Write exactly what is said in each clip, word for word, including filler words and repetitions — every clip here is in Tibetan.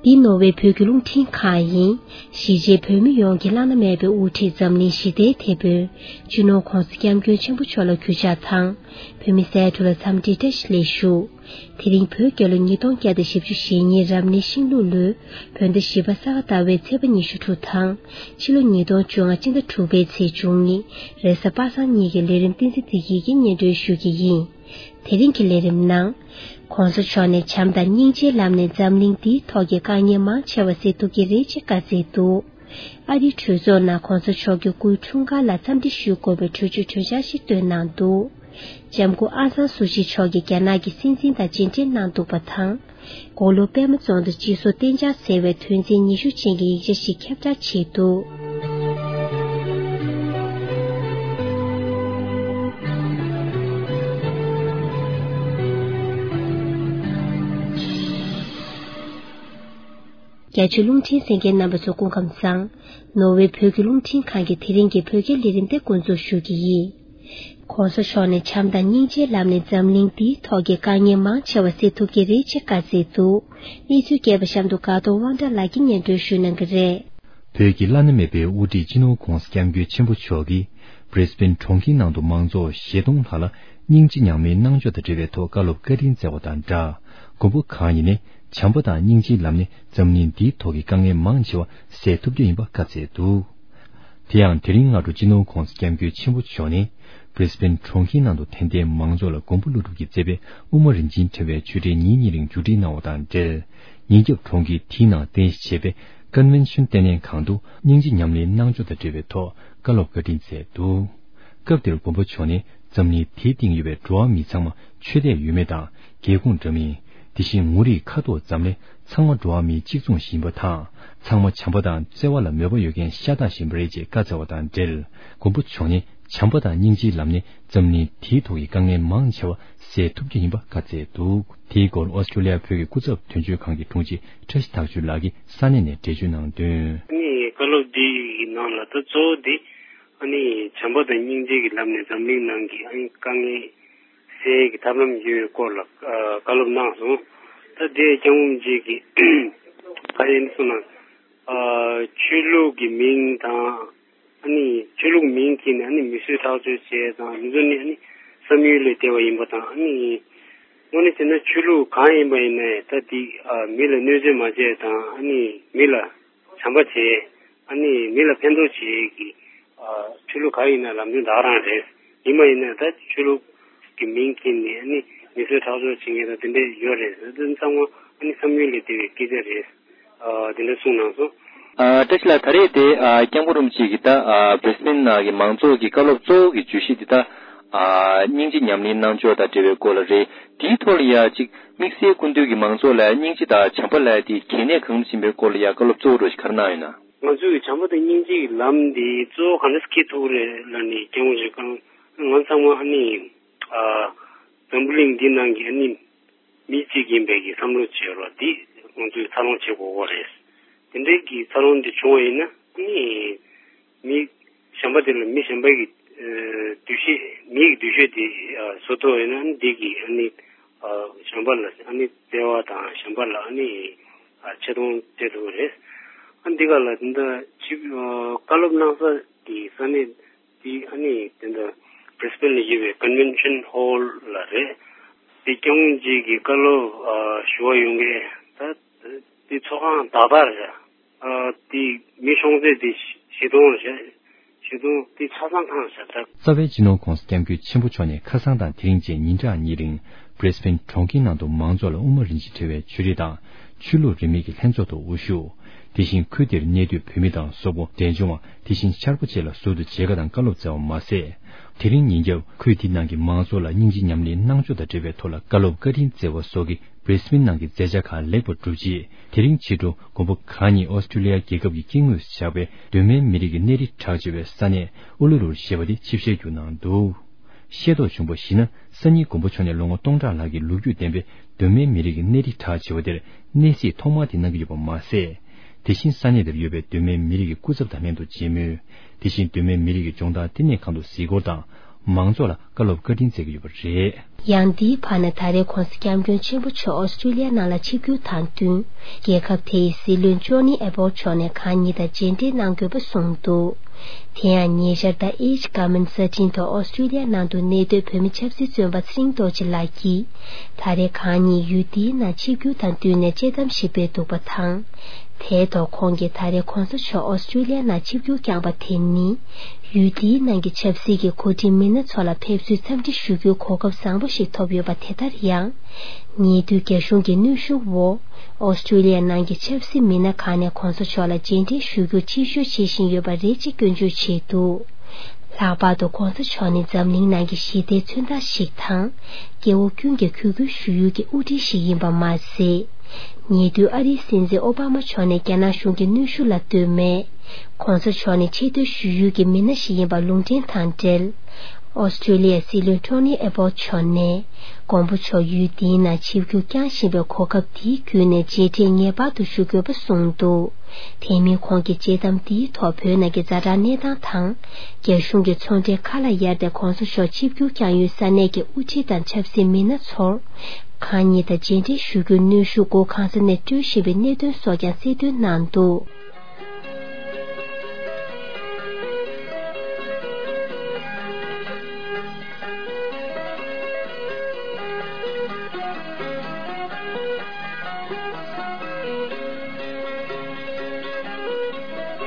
འདི་ནོར་ཝེ་བོད་ཀྱི་རླུང་འཕྲིན་ཁང་ཡིན། གཞིས་བྱེས་བོད་མི་ཡོངས་ཀྱི་བླ་ན་མེད་པའི་དབུ་ཁྲིད་འཛམ་གླིང་ཞི་བདེའི་དེད་དཔོན་སྤྱི་ནོར་༧གོང་ས་༧སྐྱབས་མགོན་ཆེན་པོ་མཆོག་ལ་གུས་ཕྱག་དང་། བོད་མི་སེ་འབྲུ་ལ་འཚམས་འདྲི་བཀྲ་ཤིས་བདེ་ལེགས་ཞུ། དེ་རིང་བོད་རྒྱལ་ལོ་ཉིས་སྟོང་བརྒྱ་དང་བཞི་བཅུ་ཞེ་གཉིས་རབ་གནས་ཤིང་ལུག་ལོའི་བོད་ཟླ་བཞི་པ་ས་ག་ཟླ་བའི་ཚེས་པ་ཉི་ཤུ་དྲུག་དང་། ཕྱི་ལོ་ཉིས་སྟོང་བཅོ་ལྔ་སྤྱི་ཟླ་དྲུག་པའི་ཚེས་བཅུ་གཉིས་རེས་གཟའ་པ་སངས་ཉིན་གྱི་ལས་རིམ་བསྟན་འཛིན་བདེ་སྐྱིད་ཀྱིས་སྙན་སྒྲོན་ཞུ་གི་ཡིན། དེ་རིང་གི་ལས་རིམ་ནང་། ༸གོང་ས་མཆོག་ནས་བྱམས་དང་སྙིང་རྗེའི་ལམ་ནས་འཛམ་གླིང་འདིའི་ཐོག་གི་དཀའ་ངལ་མང་ཆེ་བ་སེལ་ཐུབ་ཀྱི་རེད་ཅེས་བཀའ་སྩལ་འདུག་ཨ་རིའི་གྲོས་ཚོགས་ནང་༸གོང་ས་མཆོག་གི་སྐུའི་འཁྲུངས་སྐར་ལ་འཚམས་འདྲི་ཞུ་དགོས་པའི་གྲོས་ཆོད་གྲོས་འཆར་ཞིག་བཏོན་གནང་འདུག་ལྕམ་སྐུ་ཨང་སང་སུའུ་ཅི་མཆོག་གིས་རྒྱ་ནག་གི་སྲིད་འཛིན་དང་མཇལ་འཕྲད་གནང་འདུག་པ་དང་། དགུང་ལོ་པད་མ་རྫོང་དུ་སྤྱི་སོར་གཏན་འཇགས་ཟེར་བའི་དོན་ཚན་ཉི་ཤུ་ཅན་གྱི་ཡིག་ཆ་ཞིག་ཁྱབ་བསྒྲགས་བྱས་འདུག་རྒྱ་ཆེའི་རླུང་འཕྲིན་གསན་མཁན་རྣམ་པ་ཚོ་སྐུ་ཁམས་བཟང་། ནོར་ཝེ་བོད་ཀྱི་རླུང་འཕྲིན་ཁང་གི་དེ་རིང་གི་བོད་སྐད་ལས་རིམ་དེ་འགོ་འཛུགས་ཞུ་གི་ཡིན། ༸གོང་ས་མཆོག་ནས་བྱམས་དང་སྙིང་རྗེའི་ལམ་ནས་འཛམ་གླིང་འདིའི་ཐོག་གི་དཀའ་ངལ་མང་ཆེ་བ་སེལ་ཐུབ་ཀྱི་རེད་ཅེས་བཀའ་སྩལ་འདུག་གནས་ཚུལ་རྒྱས་པ་གཤམ་དུ་དགའ་གདོང་དབང་གྲགས་ལགས་ཀྱིས་སྙན་སྒྲོན་ཞུ་གནང་གི་རེད། བོད་ཀྱི་བླ་ན་མེད་པའི་དབུ་ཁྲིད་སྤྱི་ནོར་༸གོང་ས་༸སྐྱབས་མགོན་ཆེན་པོ་མཆོག་གིས་Brisbane་གྲོང་ཁྱེར་ནང་དུ་མང་ཚོགས་བཞེས་གཏོང་ཁག་ལ་སྙིང་རྗེ་ཉམས་ལེན་གནང་ཕྱོགས་དང་འབྲེལ་བའི་ཐོག་བཀའ་སློབ་བཀའ་དྲིན་སྩལ་བ་དང་སྦྲགས། མགོན་པོ་གང་ཉིད་ནས་བྱམས་པ་དང་སྙིང་རྗེའི་ལམ་ནས་འཛམ་གླིང་འདིའི་ཐོག་གི་དཀའ་ངལ་མང་ཆེ་བ་སེལ་ཐུབ་རྒྱུ་ཡིན་པ་བཀའ་སྩལ་འདུག་དེ་ཡང་དེ་རིང་སྔ་དྲོ་སྤྱི་ནོར་༸གོང་ས་༸སྐྱབས་མགོན་ཆེན་པོ་མཆོག་ནས་Brisbane་གྲོང་ཁྱེར་ནང་དུ་དད་ལྡན་མང་ཚོགས་ལ་མགོན་པོ་ཀླུ་སྒྲུབ་ཀྱིས་མཛད་པའི་དབུ་མ་རིན་ཆེན་ཕྲེང་བའི་ཆོས་འབྲེལ་ཉིན་གཉིས་རིང་མཇུག་སྒྲིལ་གནང་བ་དང་འབྲེལ། ཉིན་རྒྱབ་གྲོང་ཁྱེར་དེའི་ནང་རྟེན་གཞི་བྱས་པའི་Convention་ལྟེ་གནས་ཁང་དུ་སྙིང་རྗེ་ཉམས་ལེན་གནང་ཕྱོགས་དང་འབྲེལ་བའི་ཐོག་བཀའ་སློབ་བཀའ་དྲིན་སྩལ་འདུག་སྐབས་དེར་མགོན་པོ་མཆོག་ནས་འཛམ་གླིང་དེའི་སྟེང་ཡོད་པའི་འགྲོ་བ་མི་ཚང་མ་ཆོས་དད་ཡོད་མེད་དང་རྒྱལ་ཁོངས་འདྲ་མིན། དེ་བཞིན་ངོ་རིས་ཁ་དོག་ཙམ་ལས་ཚང་མ་འགྲོ་བ་མིའི་གཅིག་མཚུངས་ཡིན་པ་དང་། ཚང་མ་བྱམས་པ་དང་བརྩེ་བ་ལ་མོས་པ་ཡོད་མཁན་ཤ་སྟག་ཞིག་ཡིན་པ་རེད་ཅེས་བཀའ་སྩལ་བ་དང་འབྲེལ། མགོན་པོ་མཆོག་ནས་བྱམས་པ་དང་སྙིང་རྗེའི་ལམ་ནས་འཛམ་གླིང་དེའི་ཐོག་གི་དཀའ་ངལ་མང་ཆེ་བ་སེལ་ཐུབ་རྒྱུ་ཡིན་པ་བཀའ་སྩལ་འདུག་དེའི་སྐོར་ཨོ་སི་ཀྲུ་ལི་ཡ་བོད་ཀྱི་སྐུ་ཚབ་དོན་གཅོད་ཁང་གི་དྲུང་ཆེ་བཀྲ་ཤིས་ཐག་ཆོད་ལགས་ཀྱིས་ས་གནས་ནས་འགྲེལ་བརྗོད་གནང་དོན། ཨ་ནི་བཀའ་སློབ་འདིའི་ནང་ལ་ད་གཙོ་བོ་འདི་ཨ་ནི་བྱམས་པ་དང་སྙིང་རྗེ་གི་ལམ་ནས་འཛམ་གླིང་ནང་གི་ཨ་ནི་དཀའ་ངལ་སེལ་གྱི་ཐབས་ལམ་ཡོད་པའི་སྐོར་ལ་ཨ་བཀའ་སློབ་གནང་སོང་། ད་དེ་སྐྱབས་མགོན་རིན་པོ་ཆེ་གིས་ག་རེ་གསུངས་ན་ཨ་ཆོས་ལུགས་ཀྱི་མིང་དང་ཨ་ནི་ཆོས་ལུགས་མིང་གིས་ནི་ཨ་ནི་མི་གསོད་ཁྲག་སྦྱོར་བྱས་དང་དེ་ཚོ་ནི་ཨ་ནི་བསམ་ཡུལ་ལས་འདས་པ་ཡིན་པ་དང་ཨ་ནི་དངོས་གནས་བྱས་ན་ཆོས་ལུགས་གང་ཡིན་པ་ཡིན་ནའི་ད་དེ་ཨ་མི་ལ་གནོད་འཚེ་མ་བྱས་དང་ཨ་ནི་མི་ལ་བྱམས་པ་བྱས། ཨ་ནི་མི་ལ་ཕན་ཐོགས་བྱེད་ཀྱི་ཨ་ཆོས་ལུགས་གང་ཡིན་ན་ལམ་སྟོན་ད་ག་རང་རེད། ཡིན་པ་ཡིན་ན་ད་ཆོས་ལུགས་ཀྱི་མིང་གིས་ནི་ཨ་ནི་མི་གསོད་ཁྲག་སྦྱོར་བྱེད་མཁན་དང་དེ་འདྲས་ཡོད་རེད། དེ་ཚང་མ་ཨ་ནི་བསམ་ཡུལ་ལས་འདས་པའི་སྐད་ཆ་རེད། ཨ་དེ་འདྲས་གསུངས་གནང་སོང་། ཨ་བཀྲ་ཤིས་ལགས་ད་རེས་དེ་ཨ་སྐྱབས་མགོན་རིན་པོ་ཆེ་གིས་ད་ཨ་Brisbane་ནང་གི་མང་ཚོགས་ཀྱི་བཀའ་སློབ་གཙོ་བོ་གི་བརྗོད་གཞི་འདི་ད་ཨ་སྙིང་རྗེ་ཉམས་ལེན་གནང་ཕྱོགས་དང་འབྲེལ་བའི་སྐོར་ལ་རེད། དེའི་ཐོག་ལ་ཡ་གཅིག་དམིགས་བསལ་སྐུ་མདུན་གྱིས་མང་ཚོགས་ལ་སྙིང་རྗེ་དང་བྱམས་པ་ལབ་ཡ་དེ་གལ་གནད་གང་འདྲ་ཡིན་པའི་སྐོར་ལ་ཡ་བཀའ་སློབ་གཙོ་བོ་འདྲ་ཞིག་ག་རེ་གནང་ཡོད་ན། ང་ཚོས་བྱམས་པ་དང་སྙིང་རྗེ་གི་ལམ་འདི་གཙོ་བོ་གང་འདྲ་སེ་འཁྱེར་ཐུབ་ཀྱི་རེད་ལབ་ནས་སྐྱབས་མགོན་ཆེན་པོས་ང་ཚང་མ་ཨ་ནི་ཨ་འཛམ་བུ་གླིང་འདི་ནང་གི་ཨ་ནི་མི་གཅིག་ཡིན་པའི་གི་བསམ་བློ་བྱེད་རོགས་འདི་ང་ཚོས་འཚར་ལོངས་བྱེད་དགོས་ཀྱི་རེད། དེ་འདྲའི་གི་འཚར་ལོངས་འདི་བྱུང་བ་ཡིན་ན་ཨ་ནི། མི་གཞན་པ་དེ་ལ་མི་གཞན་པ་གི་ཨ་འདུ་ཤེས་མི་ཡི་འདུ་ཤེས་དེ་ཨ་བཟོ་ཐུབ་ཡོད་ན་འདི་གི་ཨ་ནི་ཨ་གཞན་པ་ལ་ཨ་ནི་བརྩེ་བ་དང་གཞན་པ་ལ་ཨ་ནི་ཨ་ཆེ་མཐོང་སྤྲད་ཐུབ་ཀྱི་རེད། ཨ་འདི་ག་ལ་འདི་འདྲ་ཅིག་ཨ་བཀའ་སློབ་གནང་ས་གི་ས་གནས་དེ་ཨ་ནི་དེ་འདྲ་Brisbane་ལ་ཡོད་པའི་Convention Hall་ལ་རེད། དེ་སྐྱབས་མགོན་རྗེ་གི་བཀའ་སློབ་ཨ་ཞུ་བ་ཡོང་མཁན་ད་དེ་ཚོགས་ཁང་ད་ལྟ་རེད། ཨ་དེ་མི་ཤོང་ཚད་དེ་བཞི་སྟོང་རེད། བཞི་སྟོང་དེ་ཆ་ཚང་ཐང་ཤ་སྟག་རྩ་བའི་སྤྱི་ནོར་༸གོང་ས་༸སྐྱབས་མགོན་ཆེན་པོ་མཆོག་ནས་ཁ་སང་དང་དེ་རིང་བཅས་ཉིན་གྲངས་གཉིས་རིང་Brisbane་གྲོང་ཁྱེར་ནང་དུ་མང་ཚོགས་ལ་དབུ་མ་རིན་ཆེན་ཕྲེང་བའི་ཆོས་རིས་དང་ཆོས་ལུགས་རིས་མེད་ཀྱི་ལྷན་ཚོགས་ཐོག་དབུ་བཞུགས། དེ་བཞིན་ཁུལ་དེར་གནས་སྡོད་བོད་མི་དང་སོག་པོ་འབྲས་ལྗོངས་པ་དེ་བཞིན་ཤར་པ་བཅས་ལ་ཟུར་དུ་མཇལ་ཁ་དང་བཀའ་སློབ་སྩལ་བ་མ་ཟད། དེ་རིང་ཉིན་རྒྱབ་ཁུལ་དེ་ནང་གི་མང་ཚོགས་ལ་སྙིང་རྗེ་ཉམས་ལེན་གནང་ཕྱོགས་དང་འབྲེལ་བའི་ཐོག་ལ་བཀའ་སློབ་བཀའ་དྲིན་སྩལ་བ་སོགས་ཀྱི་Brisbane་ནང་གི་མཛད་འཆར་ཁག་ལེགས་པར་གྲུབ་རྗེས། དེ་རིང་ཕྱི་དྲོ་མགོན་པོ་གང་ཉིད་ཨོ་སི་ཀྲུ་ལི་ཡ་རྒྱལ་ཁབ་ཀྱི་སྐྱེ་དངོས་སུ་བཞག་པའི་གདོད་མའི་མི་རིགས་ཀྱི་གནས་རི་གྲགས་ཆེ་བའི་ས་གནས་ཨུ་ལུ་རུར་ཞེས་པ་དེ་ཆིབས་ཞལ་བསྒྱུར་གནང་འདུག་ཤེས་རྟོགས་བྱུང་བར་གཞིགས་ན། སང་ཉིན་མགོན་པོ་མཆོག་ནས་ལོ་ངོ་སྟོང་ཕྲག་ལྷག་གི་ལོ་རྒྱུས་ལྡན་པའི་གདོད་མའི་མི་རིགས་ཀྱི་གནས་རི་གྲགས་ཆེ་བ་དེར་གནས་གཟིགས་ཐོག་མ་དེ་གནང་གི་ཡོད་པ་མ་ཟད། དེ་བཞིན་ས་གནས་དེར་ཡོད་པའི་གདོད་མའི་མི་རིགས་ཀྱི་སྐུ་ཚབ་དང་ལྷན་དུ་མཇལ་མོལ། དེ་བཞིན་གདོད་མའི་མི་རིགས་ཀྱི་ལྗོངས་བདག་བསྟི་གནས་ཁང་དུ་གཟིགས་སྐོར་དང་། མང་ཚོགས་ལ་བཀའ་སློབ་བཀའ་དྲིན་སྩལ་གྱི་ཡོད་པ་རེད། ཡང་འདིའི་བར་ན་ད་རེས་༸གོང་ས་༸སྐྱབས་མགོན་ཆེན་པོ་མཆོག་ཨོ་སི་ཀྲི་ལི་ཡ་ནང་ལ་ཆིབས་བསྒྱུར་དང་བསྟུན། རྒྱལ་ཁབ་དེ་ཡི་སྲིད་བློན་ཅོ་ནི་ཨེ་བོལ་མཆོག་ནས་གང་ཉིད་དང་མཇལ་འཕྲད་གནང་དགོས་པ་གསུངས་འདུག་དེ་ཡང་ཉེ་ཆར་ཟླ་ཨེ་ཅིག་བཀའ་མོལ་གསར་འཕྲིན་ཐོག་ཨོ་སི་ཀྲི་ལི་ཡ་ནང་དུ་གནས་སྡོད་བོད་མི་ཆབ་སྲིད་བཙོན་པ་ཚེ་རིང་རྡོ་རྗེ་ལགས་ཀྱིས། ད་རེས་གང་ཉིད་ཡུལ་འདིའི་ནང་ཆིབས་བསྒྱུར་དང་བསྟུན་ནས་དཔྱད་གཏམ་ཞིག་སྤེལ་འདུག་པ་དང་། དེའི་ཐོག་ཁོང་གིས་ད་རེས་༸གོང་ས་མཆོག་ཨོ་སི་ཀྲི་ལི་ཡ་ནང་ཆིབས་བསྒྱུར་བསྐྱངས་པ་དེ་ནི། ཡུལ་འདིའི་ནང་གི་ཆབ་སྲིད་ཀྱི་འགོ་ཁྲིད་མི་སྣ་ཚོ་ལ་ཕེབས་བསུའི་འཚམས་འདྲི་ཞུ་རྒྱུའི་གོ་སྐབས་བཟང་པོ་ཞིག་ཐོབ་ཡོད་པ་དེ་ལྟར་ཡང་། ཉེ་དུས་རྒྱ་གཞུང་གི་གནོན་ཤུགས་འོག་ཨོ་སི་ཀྲི་ལི་ཡ་ནང་གི་ཆབ་སྲིད་མི་སྣ་ཁག་ནས་༸གོང་ས་མཆོག་ལ་མཇལ་འཕྲད་ཞུ་རྒྱུར་ཕྱིར་ཤོག་བྱེད་བཞིན་ཡོད་པ་རེད་ཅེས་སྐྱོན་བརྗོད་བྱས་འདུག་ལྷག་པར་དུ་༸གོང་ས་མཆོག་ནི་འཛམ་གླིང་ནང་གི་ཞི་བདེའི་མཚོན་རྟགས་ཤིག་དང་། སྐྱེ་བོ་ཀུན་གྱིས་གུས་བཀུར་ཞུ་ཡུལ་གྱི་དབུ་ཁྲིད་ཞིག་ཡིན་པ་མ་ཟད། ཉེ་དུས་ཨ་རིའི་སྲིད་འཛིན་ཨོ་བྷ་མ་མཆོག་ནས་རྒྱ་ནག་གཞུང་གི་གནོན་ཤུགས་ལ་ལྟོས་མེད། ༸གོང་ས་མཆོག་ནི་ཆེ་བསྟོད་ཞུ་ཡུལ་གྱི་མི་སྣ་ཞིག་ཡིན་པ་ལུང་འདྲེན་དང་འབྲེལ། ཨོ་སི་ཀྲི་ལི་ཡའི་སྲིད་བློན་ཊོ་ནི་ཨེ་བོལ་མཆོག་ནས། མགོན་པོ་མཆོག་ཡུལ་འདིའི་ནང་ཆིབས་བསྒྱུར་བསྐྱངས་བཞིན་པའི་གོ་སྐབས་འདིའི་བརྒྱུད་ནས་མཇལ་འཕྲད་ངེས་པར་དུ་ཞུ་དགོས་པ་གསུངས་འདུག་དེ་མིན་ཁོང་གིས་དཔྱད་གཏམ་འདིའི་ཐོག་བོད་ནང་གི་ཛ་དྲག་གནས་སྟངས་དང་། རྒྱ་གཞུང་གི་ཚོང་འབྲེལ་ཁ་ལ་གཡར་ཏེ་༸གོང་ས་མཆོག་ཆིབས་བསྒྱུར་བསྐྱངས་ཡུལ་ས་གནས་ཀྱི་དབུ་ཁྲིད་དང་ཆབ་སྲིད་མི་སྣ་ཚོར། གང་ཉིད་དང་མཇལ་འཕྲད་ཞུ་རྒྱུར་གནོན་ཤུགས་སྒོ་གང་ས་ནས་སྤྲོད་བཞིན་པའི་གནད་དོན་སོགས་ཀྱང་གསལ་སྟོན་གནང་འདུག་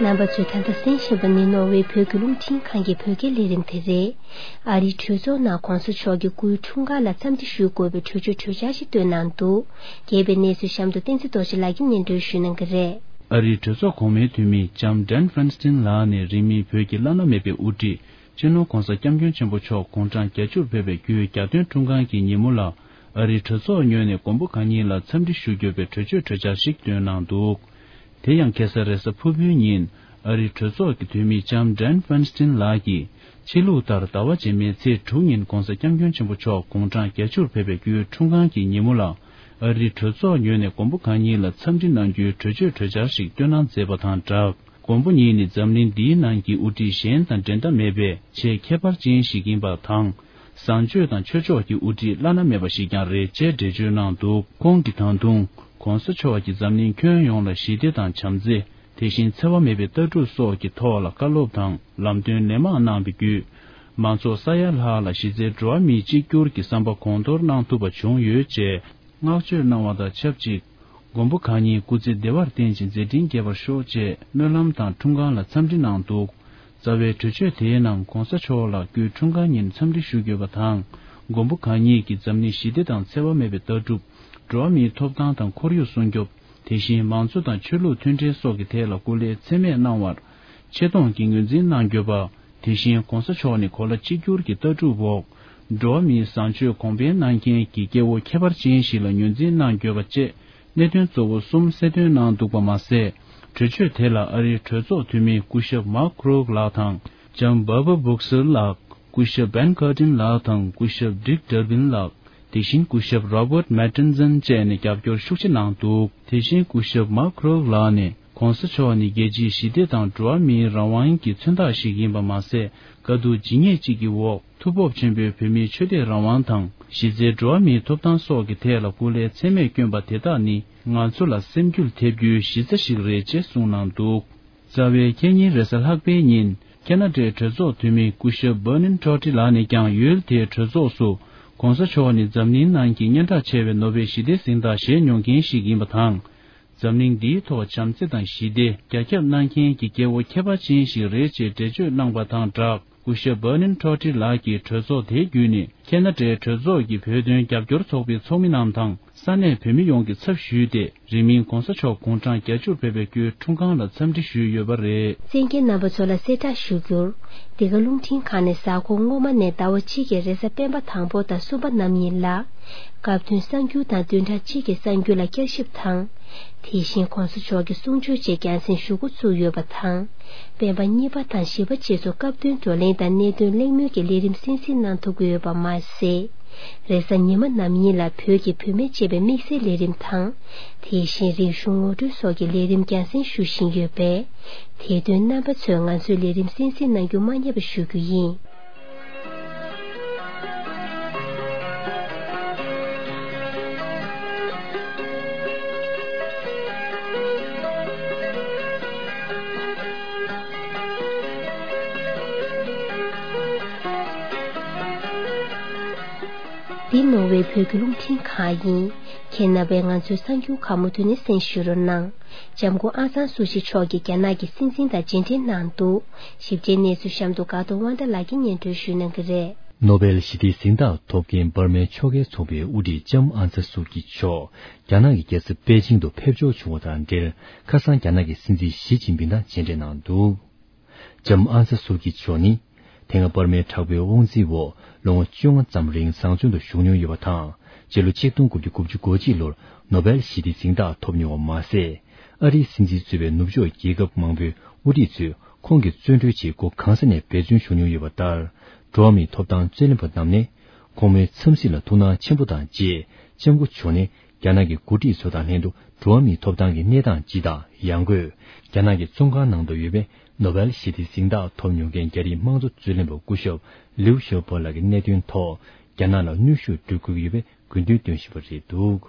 རྣམ་པ་ཚོས་ད་ལྟ་གསན་བཞིན་པ་ནི་ནོར་ཝེ་བོད་ཀྱི་རླུང་འཕྲིན་ཁང་གི་བོད་སྐད་ལས་རིམ་དེ་རེད། ཨ་རིའི་གྲོས་ཚོགས་ནང་༸གོང་ས་མཆོག་གི་སྐུའི་འཁྲུངས་སྐར་ལ་འཚམས་འདྲི་ཞུ་དགོས་པའི་གྲོས་ཆོད་གྲོས་འཆར་ཞིག་བཏོན་གནང་འདུག་རྒྱས་པའི་གནས་ཚུལ་གཤམ་དུ་བསྟན་འཛིན་རྡོ་རྗེ་ལགས་ཀྱིས་སྙན་སྒྲོན་ཞུ་གནང་གི་རེད། ཨ་རིའི་གྲོས་ཚོགས་གོང་མའི་འཐུས་མི་ལྕམ་ཌན་ཧྥན་སི་ཏིན་ལགས་ནས་རིང་མིན་བོད་ཀྱི་བླ་ན་མེད་པའི་དབུ་ཁྲིད་སྤྱི་ནོར་༸གོང་ས་༸སྐྱབས་མགོན་ཆེན་པོ་མཆོག་དགུང་གྲངས་བརྒྱད་ཅུར་ཕེབས་པའི་རྒྱུའི་གྱ་སྟོན་འཁྲུངས་སྐར་གྱི་ཉིན་མོ་ལ། ཨ་རིའི་གྲོས་ཚོགས་ངོས་ནས་མགོན་པོ་གང་ཉིད་ལ་འཚམས་འདྲི་ཞུ་དགོས་པའི་གྲོས་ཆོད་གྲོས་འཆར་ཞིག་བཏོན་གནང་འདུག་དེ་ཡང་ཁ་སང་རེས་གཟའ་ཕུར་བུའི་ཉིན། ཨ་རིའི་གྲོས་ཚོགས་ཀྱི་འཐུས་མི་ལྕམ་ཌན་ཧྥན་སི་ཏིན་ལགས་ཀྱིས། ཕྱི་ལུགས་ལྟར་ཟླ་བ་རྗེས་མའི་ཚེས་དྲུག་ཉིན་༸གོང་ས་༸སྐྱབས་མགོན་ཆེན་པོ་མཆོག་དགུང་གྲངས་བརྒྱད་ཅུར་ཕེབས་པའི་རྒྱུའི་འཁྲུངས་སྐར་གྱི་ཉིན་མོ་ལ། ཨ་རིའི་གྲོས་ཚོགས་ངོས་ནས་མགོན་པོ་གང་ཉིད་ལ་འཚམས་འདྲི་གནང་རྒྱུའི་གྲོས་ཆོད་གྲོས་འཆར་ཞིག་བཏོན་གནང་མཛད་པ་དང་སྦྲགས། མགོན་པོ་ཉིད་ནི་འཛམ་གླིང་འདིའི་ནང་གི་དབུ་ཁྲིད་གཞན་དང་འགྲན་ཟླ་མེད་པའི་ཆེས་ཁྱད་པར་ཅན་ཞིག་ཡིན་པ་དང་། བཟང་སྤྱོད་དང་ཆོས་ཕྱོགས་ཀྱི་དབུ་ཁྲིད་བླ་ན་མེད་པ་ཞིག་ཀྱང་རེད་ཅེས་འགྲེལ་བརྗོད་གནང་འདུག་ཁོང་གིས་ད་དུང་༸གོང་ས་མཆོག་གིས་འཛམ་གླིང་ཁྱོན་ཡོངས་ལ་ཞི་བདེ་དང་བྱམས་བརྩེ། དེ་བཞིན་འཚེ་བ་མེད་པའི་ལྟ་གྲུབ་སོགས་ཀྱི་ཐོག་ལ་བཀའ་སློབ་དང་ལམ་སྟོན་ལན་མང་གནང་བའི་བརྒྱུད། མང་ཚོགས་ས་ཡ་ལྷག་ལ་གཞི་རྩའི་འགྲོ་བ་མིའི་གཅིག་གྱུར་གྱི་བསམ་པ་གོང་མཐོར་གནང་ཐུབ་པ་བྱུང་ཡོད་ཅེས་བསྔགས་བརྗོད་གནང་བ་དང་ཆབས་ཅིག་མགོན་པོ་གང་ཉིད་སྐུ་ཚེ་བདེ་བར་བརྟན་ཅིང་མཛད་འཕྲིན་རྒྱས་པར་ཤོག་ཅེས་སྨོན་ལམ་དང་འཁྲུངས་སྐར་ལ་འཚམས་འདྲི་གནང་འདུག་རྩ་བའི་གྲོས་ཆོད་དེའི་ནང་༸གོང་ས་མཆོག་ལ་སྐུའི་འཁྲུངས་སྐར་ཉིན་འཚམས་འདྲི་ཞུ་དགོས་པ་དང་། མགོན་པོ་གང་ཉིད་ཀྱིས་འཛམ་གླིང་ཞི་བདེ་དང་འཚེ་བ་མེད་པའི་ལྟ་གྲུབ། འགྲོ་བ་མིའི་ཐོབ་ཐང་དང་ཁོར་ཡུག་སྲུང་སྐྱོབ། དེ་བཞིན་མང་གཙོ་དང་ཆོས་ལུགས་མཐུན་སྒྲིལ་སོགས་ཀྱི་ཐད་ལ་སྐུ་ལས་ཚད་མེད་གནང་བར་ཆེ་མཐོང་གིས་ངོས་འཛིན་གནང་དགོས་པ། དེ་བཞིན་༸གོང་ས་མཆོག་ནི་གོ་ལ་གཅིག་གྱུར་གྱི་ལྟ་གྲུབ་འོག་འགྲོ་བ་མིའི་བཟང་སྤྱོད་གོང་འཕེལ་གནང་མཁན་གྱི་སྐྱེ་བོ་ཁྱད་པར་ཅན་ཞིག་ལ་ངོས་འཛིན་གནང་དགོས་པ་བཅས་གནད་དོན་གཙོ་བོ་གསུམ་གསལ་སྟོན་གནང་འདུག་པ་མ་ཟད། གྲོས་ཆོད་དེ་ལ་ཨ་རིའི་གྲོས་ཚོགས་འཐུས་མི་སྐུ་ཞབས་མཱག་ཁྲོག་ལགས་དང་། ལྕམ་བྷར་བྷར་བྷུག་སེལ་ལགས། སྐུ་ཞབས་བན་ཀར་ཏིན་ལགས་དང་སྐུ་ཞབས་ཌིག་ཌར་བིན་ལགས། དེ་བཞིན་སྐུ་ཞབས་རོ་བརྟ་མེ་ཏན་ཛན་བཅས་ནས་རྒྱབ་སྐྱོར་ཤུགས་ཆེ་གནང་འདུག་དེ་བཞིན་སྐུ་ཞབས་མཱག་ཁྲོག་ལགས་ནས་༸གོང་ས་མཆོག་ནི་རྒྱལ་སྤྱིའི་ཞི་བདེ་དང་འགྲོ་བ་མིའི་རང་དབང་གི་མཚོན་རྟགས་ཤིག་ཡིན་པ་མ་ཟད། དཀའ་སྡུག་ཇི་སྙེད་ཅིག་གི་འོག་ཐུགས་སྤོབས་ཆེན་པོས་བོད་མིའི་ཆོས་དད་རང་དབང་དང་གཞི་རྩའི་འགྲོ་བ་མིའི་ཐོབ་ཐང་སོགས་ཀྱི་ཐད་ལ་སྐུ་ལས་ཚད་མེད་བསྐྱོན་པ་དེ་དག་ནི་ང་ཚོ་ལ་སེམས་འགུལ་ཐེབས་རྒྱུའི་གཞི་རྩ་ཞིག་རེད་ཅེས་གསུངས་གནང་འདུག་རྩ་བའི་ཁེ་ཉིན་རེས་གཟའ་ལྷག་པའི་ཉིན་ཁེ་ན་ཌའི་གྲོས་ཚོགས་འཐུས་མི་སྐུ་ཞབས་བྷར་ནིན་ཊོ་ཊི་ལགས་ནས་ཀྱང་ཡུལ་དེའི་གྲོས་ཚོགས་སུ་༸གོང་ས་མཆོག་ནི་འཛམ་གླིང་ནང་གི་སྙན་གྲགས་ཆེ་བའི་ནོ་བེལ་ཞི་བདེའི་གཟེངས་རྟགས་བཞེས་མྱོང་མཁན་ཞིག་ཡིན་པ་དང་། འཛམ་གླིང་འདིའི་ཐོག་བྱམས་བརྩེ་དང་ཞི་བདེ་རྒྱ་ཁྱབ་གནང་མཁན་གྱི་སྐྱེ་བོ་ཁྱད་པར་ཅན་ཞིག་རེད་ཅེས་འགྲེལ་བརྗོད་གནང་པ་དང་སྦྲགས། སྐུ་ཞབས་བྷར་ནིན་ཊོ་ཊི་ལགས་ཀྱིས་གྲོས་ཚོགས་དེའི་བརྒྱུད་ནས་ཁེ་ན་ཌའི་གྲོས་ཚོགས་ཀྱི་བོད་དོན་རྒྱབ་སྐྱོར་ཚོགས་པའི་ཚོགས་མི་རྣམས་དང་ས་གནས་བོད་མི་ཡོངས་ཀྱི་ཚབ་ཞུས་ཏེ། རིང་མིན་༸གོང་ས་མཆོག་དགུང་གྲངས་བརྒྱད་ཅུར་ཕེབས་པའི་རྒྱུའི་འཁྲུངས་སྐར་ལ་འཚམས་འདྲི་ཞུས་ཡོད་པ་རེད། གསན་མཁན་རྣམ་པ་ཚོ་ལ་གསལ་བསྒྲགས་ཞུ་རྒྱུར། འདི་ག་རླུང་འཕྲིན་ཁང་ནས་གཟའ་འཁོར་སྔོན་མ་ནས་ཟླ་བ་གཅིག་གི་རེས་གཟའ་སྤེན་པ་དང་པོ་དང་གསུམ་པ་ནམ་ཡིན་ལ། སྐབས་བསྟུན་གསར་འགྱུར་དང་བདུན་ཕྲག་གཅིག་གི་གསར་འགྱུར་ལ་བསྐྱར་ཞིབ་དང་། དེ་བཞིན་༸གོང་ས་མཆོག་གི་གསུང་ཆོས་བཅས་རྒྱང་སྲིང་ཞུ་འགོ་བཙུགས་ཡོད་པ་དང་། སྤེན་པ་གཉིས་པ་དང་བཞི་པ་བཅས་སུ་སྐབས་བསྟུན་བགྲོ་གླེང་དང་གནད་དོན་གླེང་མོལ་གྱི་ལས་རིམ་གསན་གཟིགས་གནང་ཐུབ་ཀྱི་ཡོད་པ་མ་ཟད། རེས་གཟའ་ཉི་མ་ནམ་ཡིན་ལ་བོད་ཀྱི་བུད་མེད་ཅེས་པའི་དམིགས་བསལ་ལས་རིམ་དང་། དེ་བཞིན་རིག་གཞུང་ངོ་སྤྲོད་སོགས་ཀྱི་ལས་རིམ་རྒྱང་སྲིང་ཞུ་བཞིན་ཡོད་པས། དེ་དོན་རྣམ་པ་ཚོས་ང་ཚོའི་ལས་རིམ་གསན་གཟིགས་གནང་རྒྱུ་མ་བསྙེལ་བ་ཞུ་རྒྱུ་ཡིན། འདི་ནོར་ཝེ་བོད་ཀྱི་རླུང་འཕྲིན་ཁང་ཡིན། ཁྱེད་རྣམ་པས་ང་ཚོའི་གསར་འགྱུར་གང་མང་ཐོས་ནས་གསན་བཞུགས་རོགས་གནང་། ལྕམ་སྐུ་ཨང་སང་སུའུ་ཅི་མཆོག་གིས་རྒྱ་ནག་གི་སྲིད་འཛིན་དང་མཇལ་འཕྲད་གནང་འདུག་ཞིབ་ཕྲའི་གནས་ཚུལ་གཤམ་དུ་དགའ་གདོང་དབང་ཐང་ལགས་ཀྱིས་སྙན་སྒྲོན་ཞུ་གནང་གི་རེད། ནོ་བེལ་ཞི་བདེའི་གཟེངས་རྟགས་ཐོབ་མཁན་འབར་མའི་ཕྱོགས་འགལ་ཚོགས་པའི་དབུ་ཁྲིད་ལྕམ་ཨང་སང་སུའུ་ཅི་མཆོག་རྒྱ་ནག་གི་རྒྱལ་ས་པེ་ཅིང་དུ་ཕེབས་འབྱོར་བྱུང་བ་དང་འབྲེལ། ཁ་སང་རྒྱ་ནག་གི་སྲིད་འཛིན་ཞི་ཅིན་ཕིང་དང་མཇལ་འཕྲད་གནང་འདུག་ལྕམ་ཨང་སང་སུའུ་ཅི་མཆོག་ནི། དེ་སྔ་འབར་མའི་དྲག་པོའི་དབང་འཛིན་འོག་ལོ་ངོ་བཅོ་ལྔ་ཙམ་རིང་བཟང་བཙོན་དུ་བཞུགས་མྱོང་ཡོད་པ་དང་། སྤྱི་ལོ་ཆིག་སྟོང་དགུ་བརྒྱ་དགུ་བཅུ་གོ་གཅིག་ལོར་ནོ་བེལ་ཞི་བདེའི་གཟེངས་རྟགས་ཐོབ་མྱོང་བ་མ་ཟད། ཨ་རིའི་སྲིད་འཛིན་གཙོས་པའི་ནུབ་ཕྱོགས་རྒྱལ་ཁབ་མང་པོའི་དབུ་ཁྲིད་ཚོས་ཁོང་གི་བཙོན་གྲོལ་ཆེད་སྒོ་གང་ས་ནས་འབད་བརྩོན་ཞུ་མྱོང་ཡོད་པ་ལྟར། འགྲོ་བ་མིའི་ཐོབ་ཐང་རྩོད་ལེན་པ་རྣམས་ནས། ཁོང་མོའི་འཚམས་གཟིགས་ལ་ཐུགས་སྣང་ཆེན་པོ་དང་བཅས། ལྕམ་སྐུ་མཆོག་ནས། རྒྱ་ནག་གི་འགོ་ཁྲིད་ཚོ་དང་ལྷན་དུ་འགྲོ་བ་མིའི་ཐོབ་ཐང་གི་གནས་སྟངས་སྤྱི་དང་ཡང་སྒོས། རྒྱ་ནག་གི་བཙོན་ཁང་ནང་དུ་ཡོད་པའི་ནོ་བེལ་ཞི་བདེའི་གཟེངས་རྟགས་ཐོབ་མྱོང་མཁན་རྒྱ་རིགས་དམངས་གཙོ་རྩོད་ལེན་པ་སྐུ་ཞབས་ལིའུ་ཞའོ་པོ་ལགས་ཀྱི་གནད་དོན་ཐོག་རྒྱ་ནག་ལ་གནོན་ཤུགས་སྤྲོད་དགོས་ཀྱི་ཡོད་པའི་དགོས་འདུན་བཏོན་བཞིན་པ་རེད་འདུག་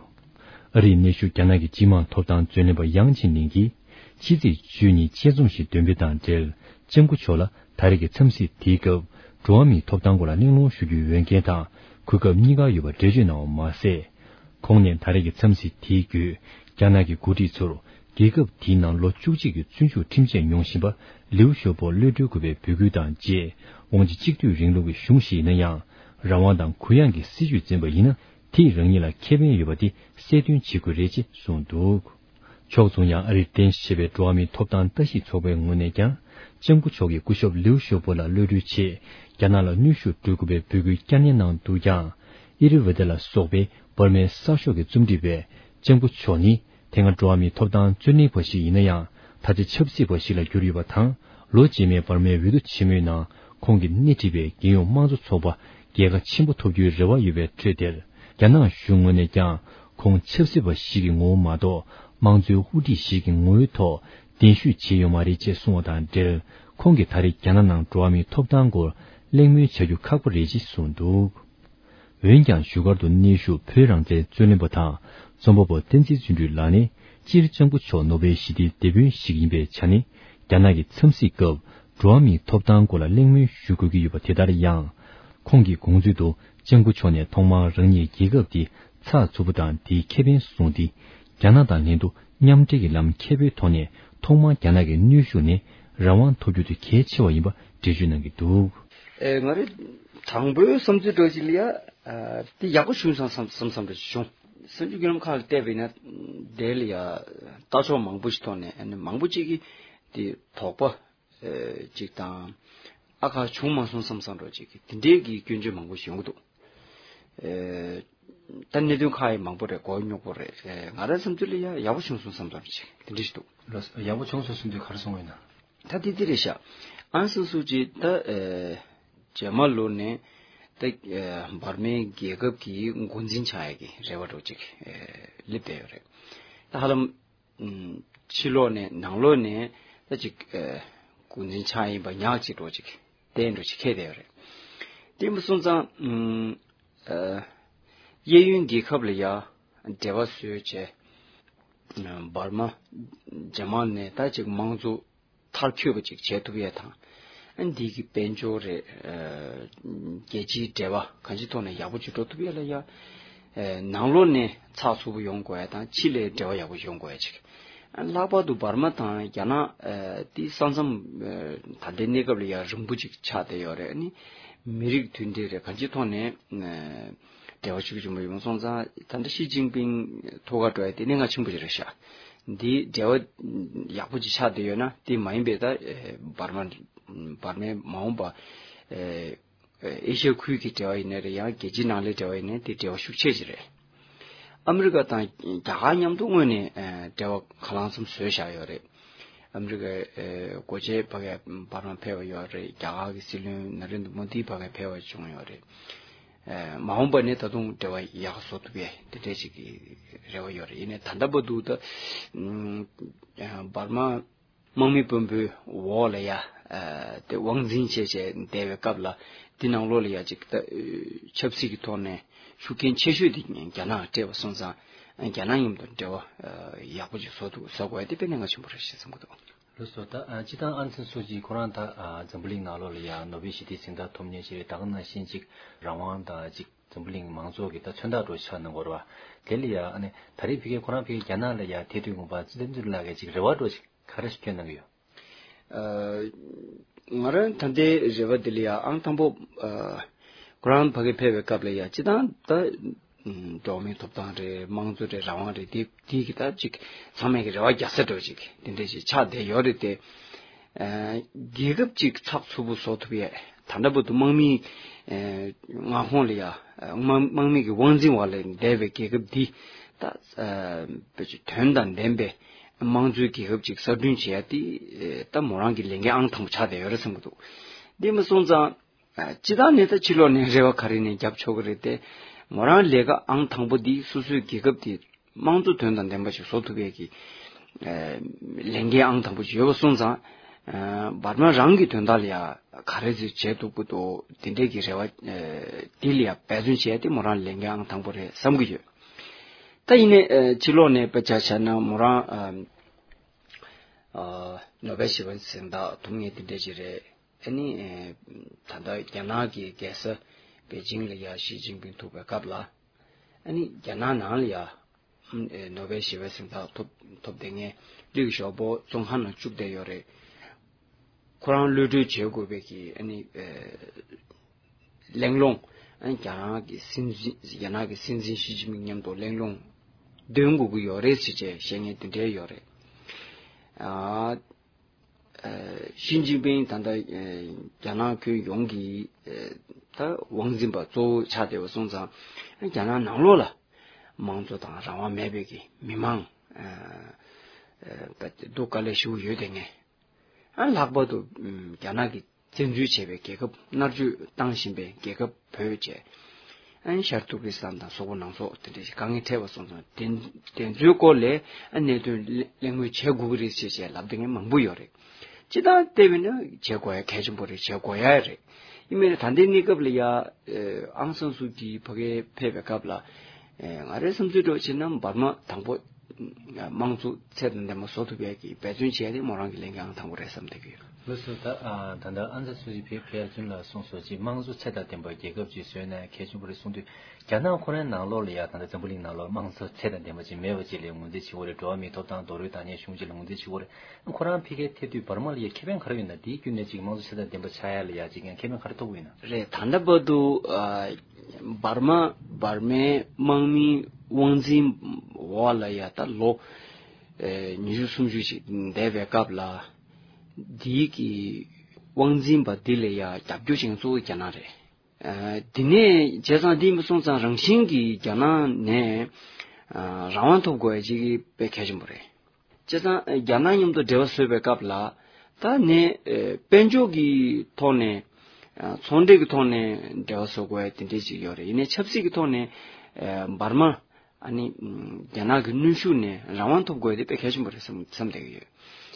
ཨ་རིའི་གནས་བཞུགས་རྒྱ་ནག་གི་སྤྱི་དམངས་ཐོབ་ཐང་རྩོད་ལེན་པ་ཡང་ཅིན་ལིན་གྱིས་ཕྱི་ཚེས་བཅུ་གཉིས་དཔྱད་རྩོམ་ཞིག་འདོན་སྤེལ་དང་འབྲེལ། ལྕམ་སྐུ་མཆོག་ལ་ད་རེས་ཀྱི་འཚམས་གཟིགས་དེའི་སྐབས། འགྲོ་བ་མིའི་ཐོབ་ཐང་སྐོར་ལ་གླེང་སློང་ཞུ་རྒྱུའི་འོས་འགན་དང་གོ་སྐབས་གཉིས་ཀ་ཡོད་པ་འགྲེལ་བརྗོད་གནང་བ་མ་ཟད། ཁོང་ནས་ད་རེས་ཀྱི་འཚམས་གཟིགས་དེའི་བརྒྱུད། རྒྱ་ནག་གི་འགོ་ཁྲིད་ཚོར་རྒྱལ་ཁབ་དེའི་ནང་ལོ་བཅུ་གཅིག་གི་བཙོན་འཇུག་ཁྲིམས་ཆད་མྱོང་བཞིན་པ་ལིའུ་ཞའོ་པོ་གློད་གྲོལ་དགོས་པའི་འབོད་སྐུལ་དང་བཅས། དབང་ཆ་གཅིག་སྡུད་རིང་ལུགས་ཀྱི་གཞུང་ཞིག་ཡིན་ན་ཡང་། རང་དབང་དང་གུ་ཡངས་ཀྱི་སྲིད་བྱུས་འཛིན་པ་ཡིན་ན། དེས་རང་ཉིད་ལ་ཁེ་ཕན་ཡོད་པ་དེ་གསལ་སྟོན་བྱེད་དགོས་རེད་ཅེས་གསུངས་འདུག་ཕྱོགས་མཚུངས་ཡང་ཨ་རིར་རྟེན་གཞི་བྱས་པའི་འགྲོ་བ་མིའི་ཐོབ་ཐང་ལྟ་ཞིབ་ཚོགས་པའི་ངོས་ནས་ཀྱང་། ལྕམ་སྐུ་མཆོག་གིས་སྐུ་ཞབས་ལིའུ་ཞའོ་པོ་ལ་གློད་གྲོལ་ཆེད། རྒྱ་ནག་ལ་གནོན་ཤུགས་སྤྲོད་དགོས་པའི་འབོད་སྐུལ་བསྐྱར་ནན་གནང་འདུག་ཀྱང་། ཨི་རི་ཝེ་ཏེ་ལ་སོགས་པའི་འབར་མའི་གསར་ཤོག་གི་རྩོམ་སྒྲིག་པས། ལྕམ་སྐུ་མཆོག་ནི། དེ་སྔ་འགྲོ་བ་མིའི་ཐོབ་ཐང་རྩོད་ལེན་པ་ཞིག་ཡིན་ན་ཡང་། ད་ཆ་ཆབ་སྲིད་པ་ཞིག་ལ་གྱུར་ཡོད་པ་དང་། ལོ་རྗེས་མའི་འབར་མའི་འོས་བསྡུ་ཆེན་མོའི་ནང་། ཁོང་གིས་སྣེ་ཁྲིད་པའི་རྒྱལ་ཡོངས་དམངས་གཙོ་ཚོགས་པ། རྒྱལ་ཁ་ཆེན་པོ་ཐོབ་རྒྱུའི་རེ་བ་ཡོད་པའི་ཁྲོད་དེར། རྒྱ་ནག་གཞུང་ངོས་ནས་ཀྱང་། ཁོང་ཆབ་སྲིད་པ་ཞིག་གི་ངོ་བོ་མ་གཏོགས། དམངས་གཙོའི་དབུ་ཁྲིད་ཞིག་གི་ངོ་བོའི་ཐོག་གདན་ཞུ་བྱས་ཡོད་མ་རེད་ཅེས་གསུངས་པ་དང་འབྲེལ། ཁོང་གིས་ད་རེས་རྒྱ་ནག་ནང་འགྲོ་བ་མིའི་ཐོབ་ཐང་སྐོར་གླེང་མོལ་བྱ་རྒྱུ་ཁག་པོ་རེད་ཅེས་གསུངས་འདུག་འོན་ཀྱང་བཞུགས་སྒར་དུ་གནས་བཞུགས་བོད་རང་བཙན་རྩོད་ལེན་པ་དང་རྩོམ་པ་པོ་བསྟན་འཛིན་བརྩོན་འགྲུས་ལགས་ནས། སྤྱིར་ལྕམ་སྐུ་མཆོག་ནོ་བེལ་ཞི་བདེའི་དེད་དཔོན་ཞིག་ཡིན་པའི་ཆ་ནས། རྒྱ་ནག་གི་འཚམས་གཟིགས་སྐབས་འགྲོ་བ་མིའི་ཐོབ་ཐང་སྐོར་ལ་གླེང་མོལ་ཞུ་དགོས་ཀྱི་ཡོད་པ་དེ་ལྟར་ཡང་། ཁོང་གིས་དགོངས་ཚུལ་དུ་ལྕམ་སྐུ་མཆོག་ནས་ཐོག་མར་རང་ཉིད་རྒྱལ་ཁབ་འདི་ཚགས་ཚུད་པོ་དང་དེའི་ཁེ་ཕན་བཟུང་སྟེ། རྒྱ་ནག་དང་ལྷན་དུ་མཉམ་འབྲེལ་གྱི་ལམ་མཁས་པོའི་ཐོག་ནས་ཐོག་མར་རྒྱ་ནག་གི་གནོན་ཤུགས་ནས་རང་དབང་ཐོབ་རྒྱུ་དེ་གལ་ཆེ་བ་ཡིན་པ་འགྲེལ་བརྗོད་གནང་གི་འདུག་ཨེ། ང་རེ་དང་པོའི་བསམ་ཚུལ་འདྲ་ཅིག་ལ་ཡ། ཨ། དེ་ཡག་པོ་བྱུང་སོང་བསམ་བསམ་བསམ་འདྲ་ཅིག་བྱུང་། གསར་འགྱུར་བརྒྱུད་ལམ་ཁག་ལ་བལྟས་པ་ཡིན་ན། དེ་ལ་ཡ་ལྟ་ཕྱོགས་མང་པོ་ཞིག་ཐོག་ནས། ཨ་ནི་མང་པོ་ཅིག་གིས་དེ་དོགས་པ་ཨེ་ཅིག་དང་། ཨ་ཁ་བྱུང་མ་སོང་བསམ་བསམ་འདྲ་ཅིག་གི་དེ་འདྲའི་གི་སྐྱོན་བརྗོད་མང་པོ་ཞིག་ཡོང་གི་འདུག་ཨེ། ད་གནད་དོན་ཁག་ཡང་མང་པོ་རེད། མགོ་རྙོག་པོ་རེད། ཨེ། ང་རང་བསམ་ཚུལ་ལ་ཡ་ཡག་པོ་བྱུང་སོང་བསམ་ཙམ་ཅིག་དེ་འདྲ་ཞིག་འདུག་ལགས་སོ། ཡག་པོ་བྱུང་སོང་བསམ་དུས་ག་རེ་གསུང་བ་ཡིན་ན། ད་དེ་དེ་རེད་ཤག་ཨང་སང་སུའུ་ཅི་ད། ཨེ། རྗེས་མ་ལོ་ནས་ད། ཨེ། འབར་མའི་རྒྱལ་ཁབ་ཀྱི་འགོ་འཛིན་ཆགས་ཡ་གི་རེ་བ་འདྲ་ཅིག་ཨེ། སླེབས་བསྡད་ཡོད་རེད། ད་ཧ་ལམ། ཕྱི་ལོགས་ནས་ནང་ལོགས་ནས་ད་ཅིག་ཨེ། འགོ་འཛིན་ཆགས་ཡིན་པ་ཉག་ཅིག་འདྲ་ཅིག་བསྟན་འདྲ་ཅིག་འཁེལ་བསྡད་ཡོད་རེད། དེ་མ་སོང་ཙང་། ཨ། གཡས་གཡོན་རྒྱལ་ཁབ་ལ་ཡ་འབྲེལ་བ་བཟོས་བྱས། འབར་མ་རྗེས་མ་ནས་ད་ཅིག་དམངས་གཙོ་མཐར་འཁྱོལ་བ་ཅིག་བྱེད་ཐུབ་ཡས་དང་། ཨ། འདི་གི་དཔལ་འབྱོར་རེད། ཨ། རྒྱལ་སྤྱིའི་འབྲེལ་བ་གང་ཅིའི་ཐོག་ནས་ཡག་པོ་ཅིག་འགྲོ་ཐུབ་ཡས་ལ་ཡ། ཨ། ནང་ལོགས་ནས་ཚགས་ཚུད་པོ་ཡོང་དགོས་ཡས་དང་། ཕྱི་ལས་འབྲེལ་བ་ཡག་པོ་ཡོང་དགོས་ཡས་ཅིག་ཨ། ལྷག་པར་དུ་འབར་མ་དང་རྒྱ་ནག་ཨ། དེ་ས་མཚམས། ཨ། ད་ལྟའི་གནས་སྐབས་ལ་ཡ་རིང་པོ་ཅིག་ཆགས་བསྡད་ཡོད་རེད། ཨ་ནི་མི་རིགས་མཐུན་སྒྲིལ་རེད། གང་ཅིའི་ཐོག་ནས། ཨ། འབྲེལ་བ་ཤུགས་ཆེན་པོ་ཡོང་སོང་ཙང་། ད་ལྟ་ཞི་ཅིན་ཕིང་ཐུགས་ཁ་འགྲོ་ཡ་དེ་གནད་འགག་ཆེན་པོ་ཞིག་རེད་ཤག་འདི་འབྲེལ་བ་ཡག་པོ་ཅིག་ཆགས་བསྡད་ཡོད་ན། དེ་མ་ཡིན་པའི་ད། ཨེ། འབར་མ། འབར་མའི་མ་འོངས་པ། ཨེ། ཨེ་ཤ་ཡ་ཁུལ་གྱི་འབྲེལ་བ་ཡིན་ནའི་རེད། ཡང་རྒྱལ་སྤྱིའི་ནང་ལའི་འབྲེལ་བ་ཡིན་ནའི་དེ་འབྲེལ་བ་ཤུགས་ཆེ་ཞིག་རེད། ཨ་མི་རི་ཀ་དང་རྒྱ་གར་མཉམ་དུ་དངོས་ནས། ཨེ། འབྲེལ་བ་གང་ལ་གང་འཚམ་བཟོས་བཞག་ཡོད་རེད། ཨ་མི་རི་ཀའི། ཨེ། འགོ་བྱེད་ཕ་གིར་འབར་མ་ཕེབས་པ་ཡོད་རེད། རྒྱ་གར་གྱི་སྲིད་བློན་ན་རེན་དྲ་མོ་དི་ཕ་གིར་ཕེབས་པ་བྱུང་ཡོད་རེད། ཨེ། མ་འོངས་པ་ནས་ད་དུང་འབྲེལ་བ་ཡག་བཟོ་ཐུབ་ཡས་དེ་འདྲས་ཞིག་གི་རེ་བ་ཡོད་རེད། ཡིན་ནའི་ད་ལྟ་བར་དུ་ད། ཨ། འབར་མ་དམག་མི་དཔོན་པོའི་འོག་ལ་ཡ། ཨ། དེ་དབང་འཛིན་བྱས་བྱས་བསྡད་པའི་སྐབས་ལ། དེ་ནང་ལོགས་ལ་ཡ་ཅིག་ད། ཨ། ཆབ་སྲིད་ཀྱི་ཐོག་ནས་ཤུགས་རྐྱེན་ཆེ་ཤོས་དེ་རྒྱ་ནག་སྤྲད་པ་སོང་ཙང་། ཨ། རྒྱ་ནག་མཉམ་དུ་འབྲེལ་བ། ཨ། ཡག་པོ་ཅིག་བཟོ་ཐུབ། བཟོ་དགོས་ཡ་དེ་དཔེ་གནད་འགག་ཆེན་པོ་རེད་ཞེས་བསམ་གྱི་འདུག་ལགས་སོ། ད་ཨ་སྤྱིར་བཏང་ཨང་སན་སུའུ་ཅི་ཁོ་རང་ད་ཨ་འཛམ་བུ་གླིང་ནང་ལོགས་ལ་ཡ་ནོ་བེལ་ཞི་བདེའི་གཟེངས་རྟགས་ཐོབ་མཁན་ཞིག་རེད། ད་ག་ནང་བཞིན་ཅིག་རང་དབང་དང་ཅིག་འཛམ་བུ་གླིང་མང་གཙོ་གི་ད་མཚོན་རྟགས་འདྲ་ཆགས་གནང་གི་ཡོད་རེད་བ། དེ་ལ་ཡ་ཨ་ནི་ད་རེས་ཕ་གི་ཁོ་རང་ཕ་གི་རྒྱ་ནག་ལ་ཡ་ཐེ་དུས་ངོ་མ་ཙི་ཙི་ལགས་ཀྱིས་ཅིག་རེ་བ་འདྲ་ཅིག་ག་རེ་ཞིག་བསྐྱོན་གནང་གི་ཡོད། ཨ། ང་རང་ད་ལྟའི་རེ་བ་འདི་ལ་ཡང་ཨང་དང་པོ་ཨ་ཁོ་རང་ཕ་གི་ཕེབས་པའི་སྐབས་ལ་ཡང་སྤྱིར་བཏང་ད་ཨ་འགྲོ་བ་མིའི་ཐོབ་ཐང་རེད། དམངས་གཙོ་རེད། རང་དབང་རེད། དེ་དེ་གི་ད་ཅིག་ཚང་མས་ཀྱི་རེ་བ་རྒྱག་ས་འདྲ་ཅིག་དེ་འདྲ་ཞིག་ཆགས་བསྡད་ཡོད་རེད་དེ། ཨ་རྒྱལ་ཁབ་ཅིག་ཚགས་ཚུད་པོ་བཟོ་ཐུབ་ཡས་ད་ལྟ་བར་དུ་དམག་མིའི་ཨ་མངའ་ཁོངས་ལ་ཡང་དམག་དམག་མི་གི་དབང་འཛིན་འོག་ལ་བསྡད་པའི་རྒྱལ་ཁབ་འདི་ད་ཨ་བེད་སྤྱོད་དོན་དང་ལྡན་པའི་དམངས་གཙོའི་རྒྱལ་ཁབ་ཅིག་གསར་སྐྲུན་བྱེད་ཡ་དེ་ད་མོ་རང་གི་ལས་འགན་ཨང་དང་པོ་ཆགས་བསྡད་ཡོད་རེད་བསམ་གྱི་འདུག་དེ་མ་སོང་ཙང་ཨ་སྤྱིར་བཏང་ནས་ད་ཕྱི་ལོགས་ནས་རེ་བ་ག་རེ་ནས་རྒྱབ་ཆོག་གི་རེད་དེ། མོ་རང་ལས་ཀ་ཨང་དང་པོ་འདི་སོ་སོའི་རྒྱལ་ཁབ་དེ་དམངས་གཙོ་དོན་དང་ལྡན་པ་ཞིག་བཟོ་ཐུབ་ཡས་ཀྱི་ཨ་ལས་འགན་ཨང་དང་པོ་ཞིག་ཡོད་པ་སོང་ཙང་ཨ་འབར་མ་རང་གི་དོན་དག་ལ་ཡ་ག་རེ་ཟིག་བྱེད་ཐུབ་ཀྱི་འདུག་དེ་འདྲས་ཀྱི་རེ་བ་ཨ་དེ་ལ་ཡ་འབད་བརྩོན་བྱས་ཏེ་མོ་རང་ལས་འགན་ཨང་དང་པོ་རེད་བསམ་གྱི་ཡོད། ད་ཡིན་ནའི་ཨ་ཕྱི་ལོགས་ནས་དཔེ་ཆ་བཞག་ན་མོ་རང་ཨ་ཨ་ནོ་བེལ་ཞི་བའི་གཟེངས་རྟགས་ཐོབ་མཁན་དེ་འདྲས་ཅིག་རེད། ཨ་ནི་ཨ་ད་ལྟ་རྒྱ་ནག་གི་རྒྱལ་ས་པེ་ཅིང་ལ་ཡ་ཞི་ཅིན་ཕིང་ཐུག་པའི་སྐབས་ལ་ཨ་ནི་རྒྱ་ནག་ནང་ལ་ཡ་ཨ་ནོ་བེལ་ཞི་བའི་གཟེངས་རྟགས་ཐོབ་ཐོབ་བསྡད་མཁན་ལིའུ་ཞའོ་པོ་བཙོན་ཁང་ནང་བཅུག་བསྡད་ཡོད་རེད། ཁོ་རང་གློད་གྲོལ་བྱེད་དགོས་པའི་གི་ཨ་ནི་ཨ་གླེང་སློང་ཨ་ནི་རྒྱ་ནག་གི་སྲིད་འཛིན་རྒྱ་ནག་གི་སྲིད་འཛིན་ཞི་ཅིན་ཕིང་མཉམ་དུ་གླེང་སློང་འདོན་དགོས་ཀྱི་ཡོད་རེད་ཟེར་བྱས་བཤད་མཁན་དེ་འདྲས་ཡོད་རེད། ཨ་ཨ་ཞི་ཅིན་ཕིང་ད་ལྟ་ཨ་རྒྱ་ནག་ཁྱོན་ཡོངས་ཀྱི་ཨ་ད་དབང་འཛིན་པ་གཙོ་བོ་ཆགས་བསྡད་པ་སོང་ཙང་རྒྱ་ནག་ནང་ལོགས་ལ་དམངས་གཙོ་དང་རང་དབང་མེད་པའི་གི་མི་མང་ཨ་ཨ་ད་སྡུག་དཀའ་ལས་ཞེ་པོ་ཡོད་བསྡད་མཁན། ཨ་ལྷག་པར་དུ་ཨམ་རྒྱ་ནག་གིས་བཙན་འཛུལ་བྱས་པའི་རྒྱལ་ཁབ་མནར་གཅོད་བཏང་བཞིན་པའི་རྒྱལ་ཁབ་བོད་བཅས། ཨ་ནི་ཤར་ཏུར་ཀི་སི་ཐན་དང་སོག་པོ་ནང་སོག་དེ་འདྲ་ཞིག་དཀའ་ངལ་འཕྲད་པ་སོང་ཙང་དེ་དེ་ཚོའི་སྐོར་ལ་ཨ་གནད་དོན་གླེང་མོལ་བྱེད་དགོས་ཀྱི་རེད་ཅེས་བྱས་ལབ་བསྡད་མཁན་མང་པོ་ཡོད་རེད། སྤྱིར་བཏང་བལྟས་པས་ན་བྱེད་དགོས་ཡ་གལ་ཆེན་པོ་རེད། བྱེད་དགོས་ཡ་རེད། ཡིན་མིན་ད་ལྟའི་གནས་སྐབས་ལ་ཡ་ཨང་སང་སུའུ་ཅི་ཕ་གིར་ཕེབས་པའི་སྐབས་ལ་ང་རའི་བསམ་ཚུལ་འདྲ་བྱས་ན་འབར་མ་དང་པོ་དམངས་གཙོ་ཚད་དང་ལྡན་པ་བཟོ་ཐུབ་ཡས་ཀྱི་འབད་བརྩོན་བྱས་ཏེ་མོ་རང་གི་ལས་འགན་ཨང་དང་པོ་རེད་བསམ་བསྡད་ཀྱི་ཡོད། ལགས་སོ། ད་ཨ་ད་ལྟ་ཨང་སང་སུའུ་ཅི་ཕེབས་ཕེབས་ཚུན་ལ་གསུངས་སོང་ཅིག་དམངས་གཙོ་ཚད་དང་ལྡན་པ་རྒྱལ་ཁབ་ཅིག་བཟོས་ན་གལ་ཆེན་པོ་རེད་གསུངས་དུས། རྒྱ་ནག་ཁོ་རའི་ནང་ལོགས་ལ་ཡ་ད་ལྟ་འཛམ་བུ་གླིང་ནང་ལོགས་དམངས་གཙོ་ཚད་དང་ལྡན་པ་ཅིག་མེད་པ་ཅིག་ལ་ངོས་འཛིན་བྱེད་དགོས་རེད། འགྲོ་བ་མིའི་ཐོབ་ཐང་རྡོག་རོལ་བཏང་མཁན་གཞུང་ཅིག་ལ་ངོས་འཛིན་བྱེད་དགོས་རེད། ཁོ་རང་ཕ་གིར་ཐེབས་དུས་འབར་མ་ལ་ཡ་ཁེ་ཕན་ག་རེ་ཡོད་ན། དེའི་བརྒྱུད་ནས་ཅིག་དམངས་གཙོ་ཚད་དང་ལྡན་པ་ཆགས་ཡ་ལ་ཡ་ཅིག་ཡང་ཁེ་ཕན་ག་རེ་ཐོབ་ཀྱི་ཡོད་ན། རེད། ད་ལྟ་བར་དུ་ཨ་འབར་མ་འབར་མའི་དམག་མིའི་དབང་འཛིན་འོག་ལ་ཡ་ད་ལོ་ཨེ་ཉི་ཤུ་སུམ་ཅུ་ཅིག་འདས་པའི་སྐབས་ལ་འདིའི་གི་དབང་འཛིན་པ་འདི་ལ་ཡ་རྒྱབ་སྐྱོར་བྱེད་མཁན་གཙོ་བོ་རྒྱ་ནག་རེད། ཨ་དེ་ནས་བྱས་ཙང་འདི་མ་སོང་ཙང་རང་བཞིན་གྱིས་རྒྱ་ནག་ནས་ཨ་རང་དབང་ཐོབ་དགོས་ཡ་ཅིག་དཔེ་གལ་ཆེན་པོ་རེད། བྱས་ཙང་རྒྱ་ནག་མཉམ་དུ་འབྲེལ་བ་བཟོས་པའི་སྐབས་ལ་ད་ནས་ཨ་དཔལ་འབྱོར་གྱི་ཐོག་ནས་ཨ་ཚོང་འབྲེལ་གྱི་ཐོག་ནས་འབྲེལ་བ་བཟོ་དགོས་ཡ་དེ་འདྲས་ཅིག་ཡོད་རེད། ཡིན་ནའི་ཆབ་སྲིད་ཀྱི་ཐོག་ནས་ཨ་འབར་མ་ཨ་ནི་རྒྱ་ནག་གི་གནོན་ཤུགས་ནས་རང་དབང་ཐོབ་དགོས་ཡ་དེ་དཔེ་གལ་ཆེན་པོ་རེད་བསམ་བསམ་བསྡད་ཀྱི་ཡོད།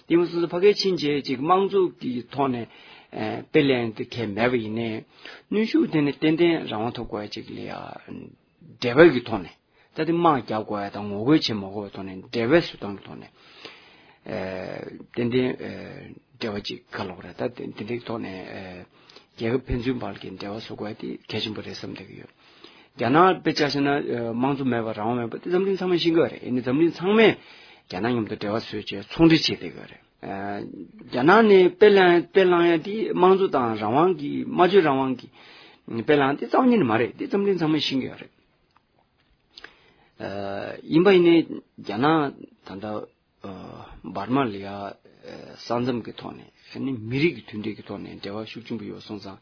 དེ་མ་སོང་ཙང་ཕ་གིར་ཕྱིན་རྗེས་ཅིག་དམངས་གཙོ་གི་ཐོག་ནས་ཨ་དཔེ་ལེན་དེ་གལ་མེད་པ་ཡིན་ནའི་གནོན་ཤུགས་དེ་ནས་ཏན་ཏན་རང་དབང་ཐོབ་དགོས་ཡ་ཅིག་ལ་ཡ་འབྲེལ་བ་གི་ཐོག་ནས། ད་དེ་དམག་རྒྱག་དགོས་ཡ་དང་ངོ་རྒོལ་བྱེད་མ་དགོས་པའི་ཐོག་ནས་འབྲེལ་བའི་བཟོ་སྟངས་ཀྱི་ཐོག་ནས་ཨེ་ཏན་ཏན་ཨེ་འབྲེལ་བ་ཅིག་ག་ལབ་དགོས་རེད། ད་དེ་དེ་འདྲའི་ཐོག་ནས་ཨེ་རྒྱལ་ཁབ་ཕན་ཚུན་བར་གྱི་འབྲེལ་བ་བཟོ་དགོས་ཡ་དེ་གལ་ཆེན་པོ་རེད་བསམ་བསྡད་ཀྱི་ཡོད། རྒྱ་ནག་དཔེ་ཆ་བཞག་ན་ཨེ་དམངས་གཙོ་མེད་པ་རང་དབང་མེད་པ་དེ་འཛམ་གླིང་ཚང་མས་ཤེས་ཀྱི་ཡོད་རེད། ཡིན་ནའི་འཛམ་གླིང་ཚང་མས་རྒྱ་ནག་མཉམ་དུ་འབྲེལ་བ་བཟོས་བྱས་ཚོང་འབྲེལ་བྱེད་བསྡད་ཀྱི་ཡོད་རེད། ཨེ་རྒྱ་ནག་ནས་དཔེ་བླངས་དཔེ་བླངས་ཡ་དེ་དམངས་གཙོ་དང་རང་དབང་གི་སྨྲ་བརྗོད་རང་དབང་གི་དཔེ་བླངས་དེ་རྩ་བ་ཉིད་ནས་མ་རེད། དེ་འཛམ་གླིང་ཚང་མས་ཤེས་ཀྱི་ཡོད་རེད། ཨ་ཡིན་པ་ཡིན་ནའི་རྒྱ་ནག་ད་ལྟ་ཨ་འབར་མ་ལ་ཡ་ཨ་ས་མཚམས་ཀྱི་ཐོག་ནས་ཨ་ནི་མི་རིགས་ཀྱི་མཐུན་སྒྲིལ་གྱི་ཐོག་ནས་འབྲེལ་བ་ཤུགས་ཆེན་པོ་ཡོད་སོང་ཙང་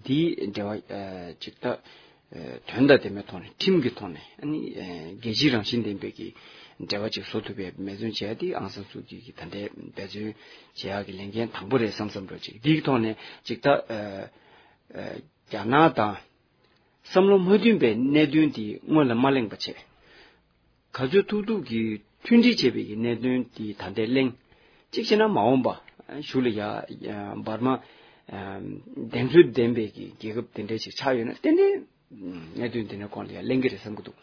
འདིའི་འབྲེལ་བ་ཨ་ཅིག་ད་ཨ་དོན་དང་ལྡན་པའི་ཐོག་ནས་ཁྲིམས་ཀྱི་ཐོག་ནས་ཨ་ནི་ཨ་རྒྱལ་སྤྱིའི་རང་བཞིན་ལྡན་པའི་གི་འབྲེལ་བ་ཅིག་བཟོ་ཐུབ་པའི་འབད་བརྩོན་བྱས་ཏེ་ཨང་སང་སུའུ་ཅི་གིས་ད་ལྟའི་འབད་བརྩོན་བྱེད་ཡག་གི་ལས་འགན་དང་པོ་རེད་བསམ་བསམ་འདྲ་ཅིག་འདིའི་ཐོག་ནས་ཅིག་ད་ཨ་ཨ་རྒྱ་ནག་དང་། བསམ་བློ་མ་མཐུན་པའི་གནད་དོན་དེ་སྔོན་ལ་མ་གླེང་པ་བྱས། ག་ཚོད་ཐུབ་ཐུབ་ཀྱིས་མཐུན་སྒྲིལ་བྱེད་པའི་གི་གནད་དོན་དེ་ད་ལྟའི་གླེང་། གཅིག་བྱས་ན་མ་འོངས་པ་གཞུག་ལ་ཡ་འབར་མ་བདེན་འཚོལ་ལྡན་པའི་གི་རྒྱལ་ཁབ་དེ་འདྲ་ཞིག་ཆགས་ཡོད་ན་ཏན་ཏན་གནད་དོན་དེ་འདྲའི་སྐོར་ལ་ཡ་གླེང་གི་རེད་བསམ་གྱི་འདུག་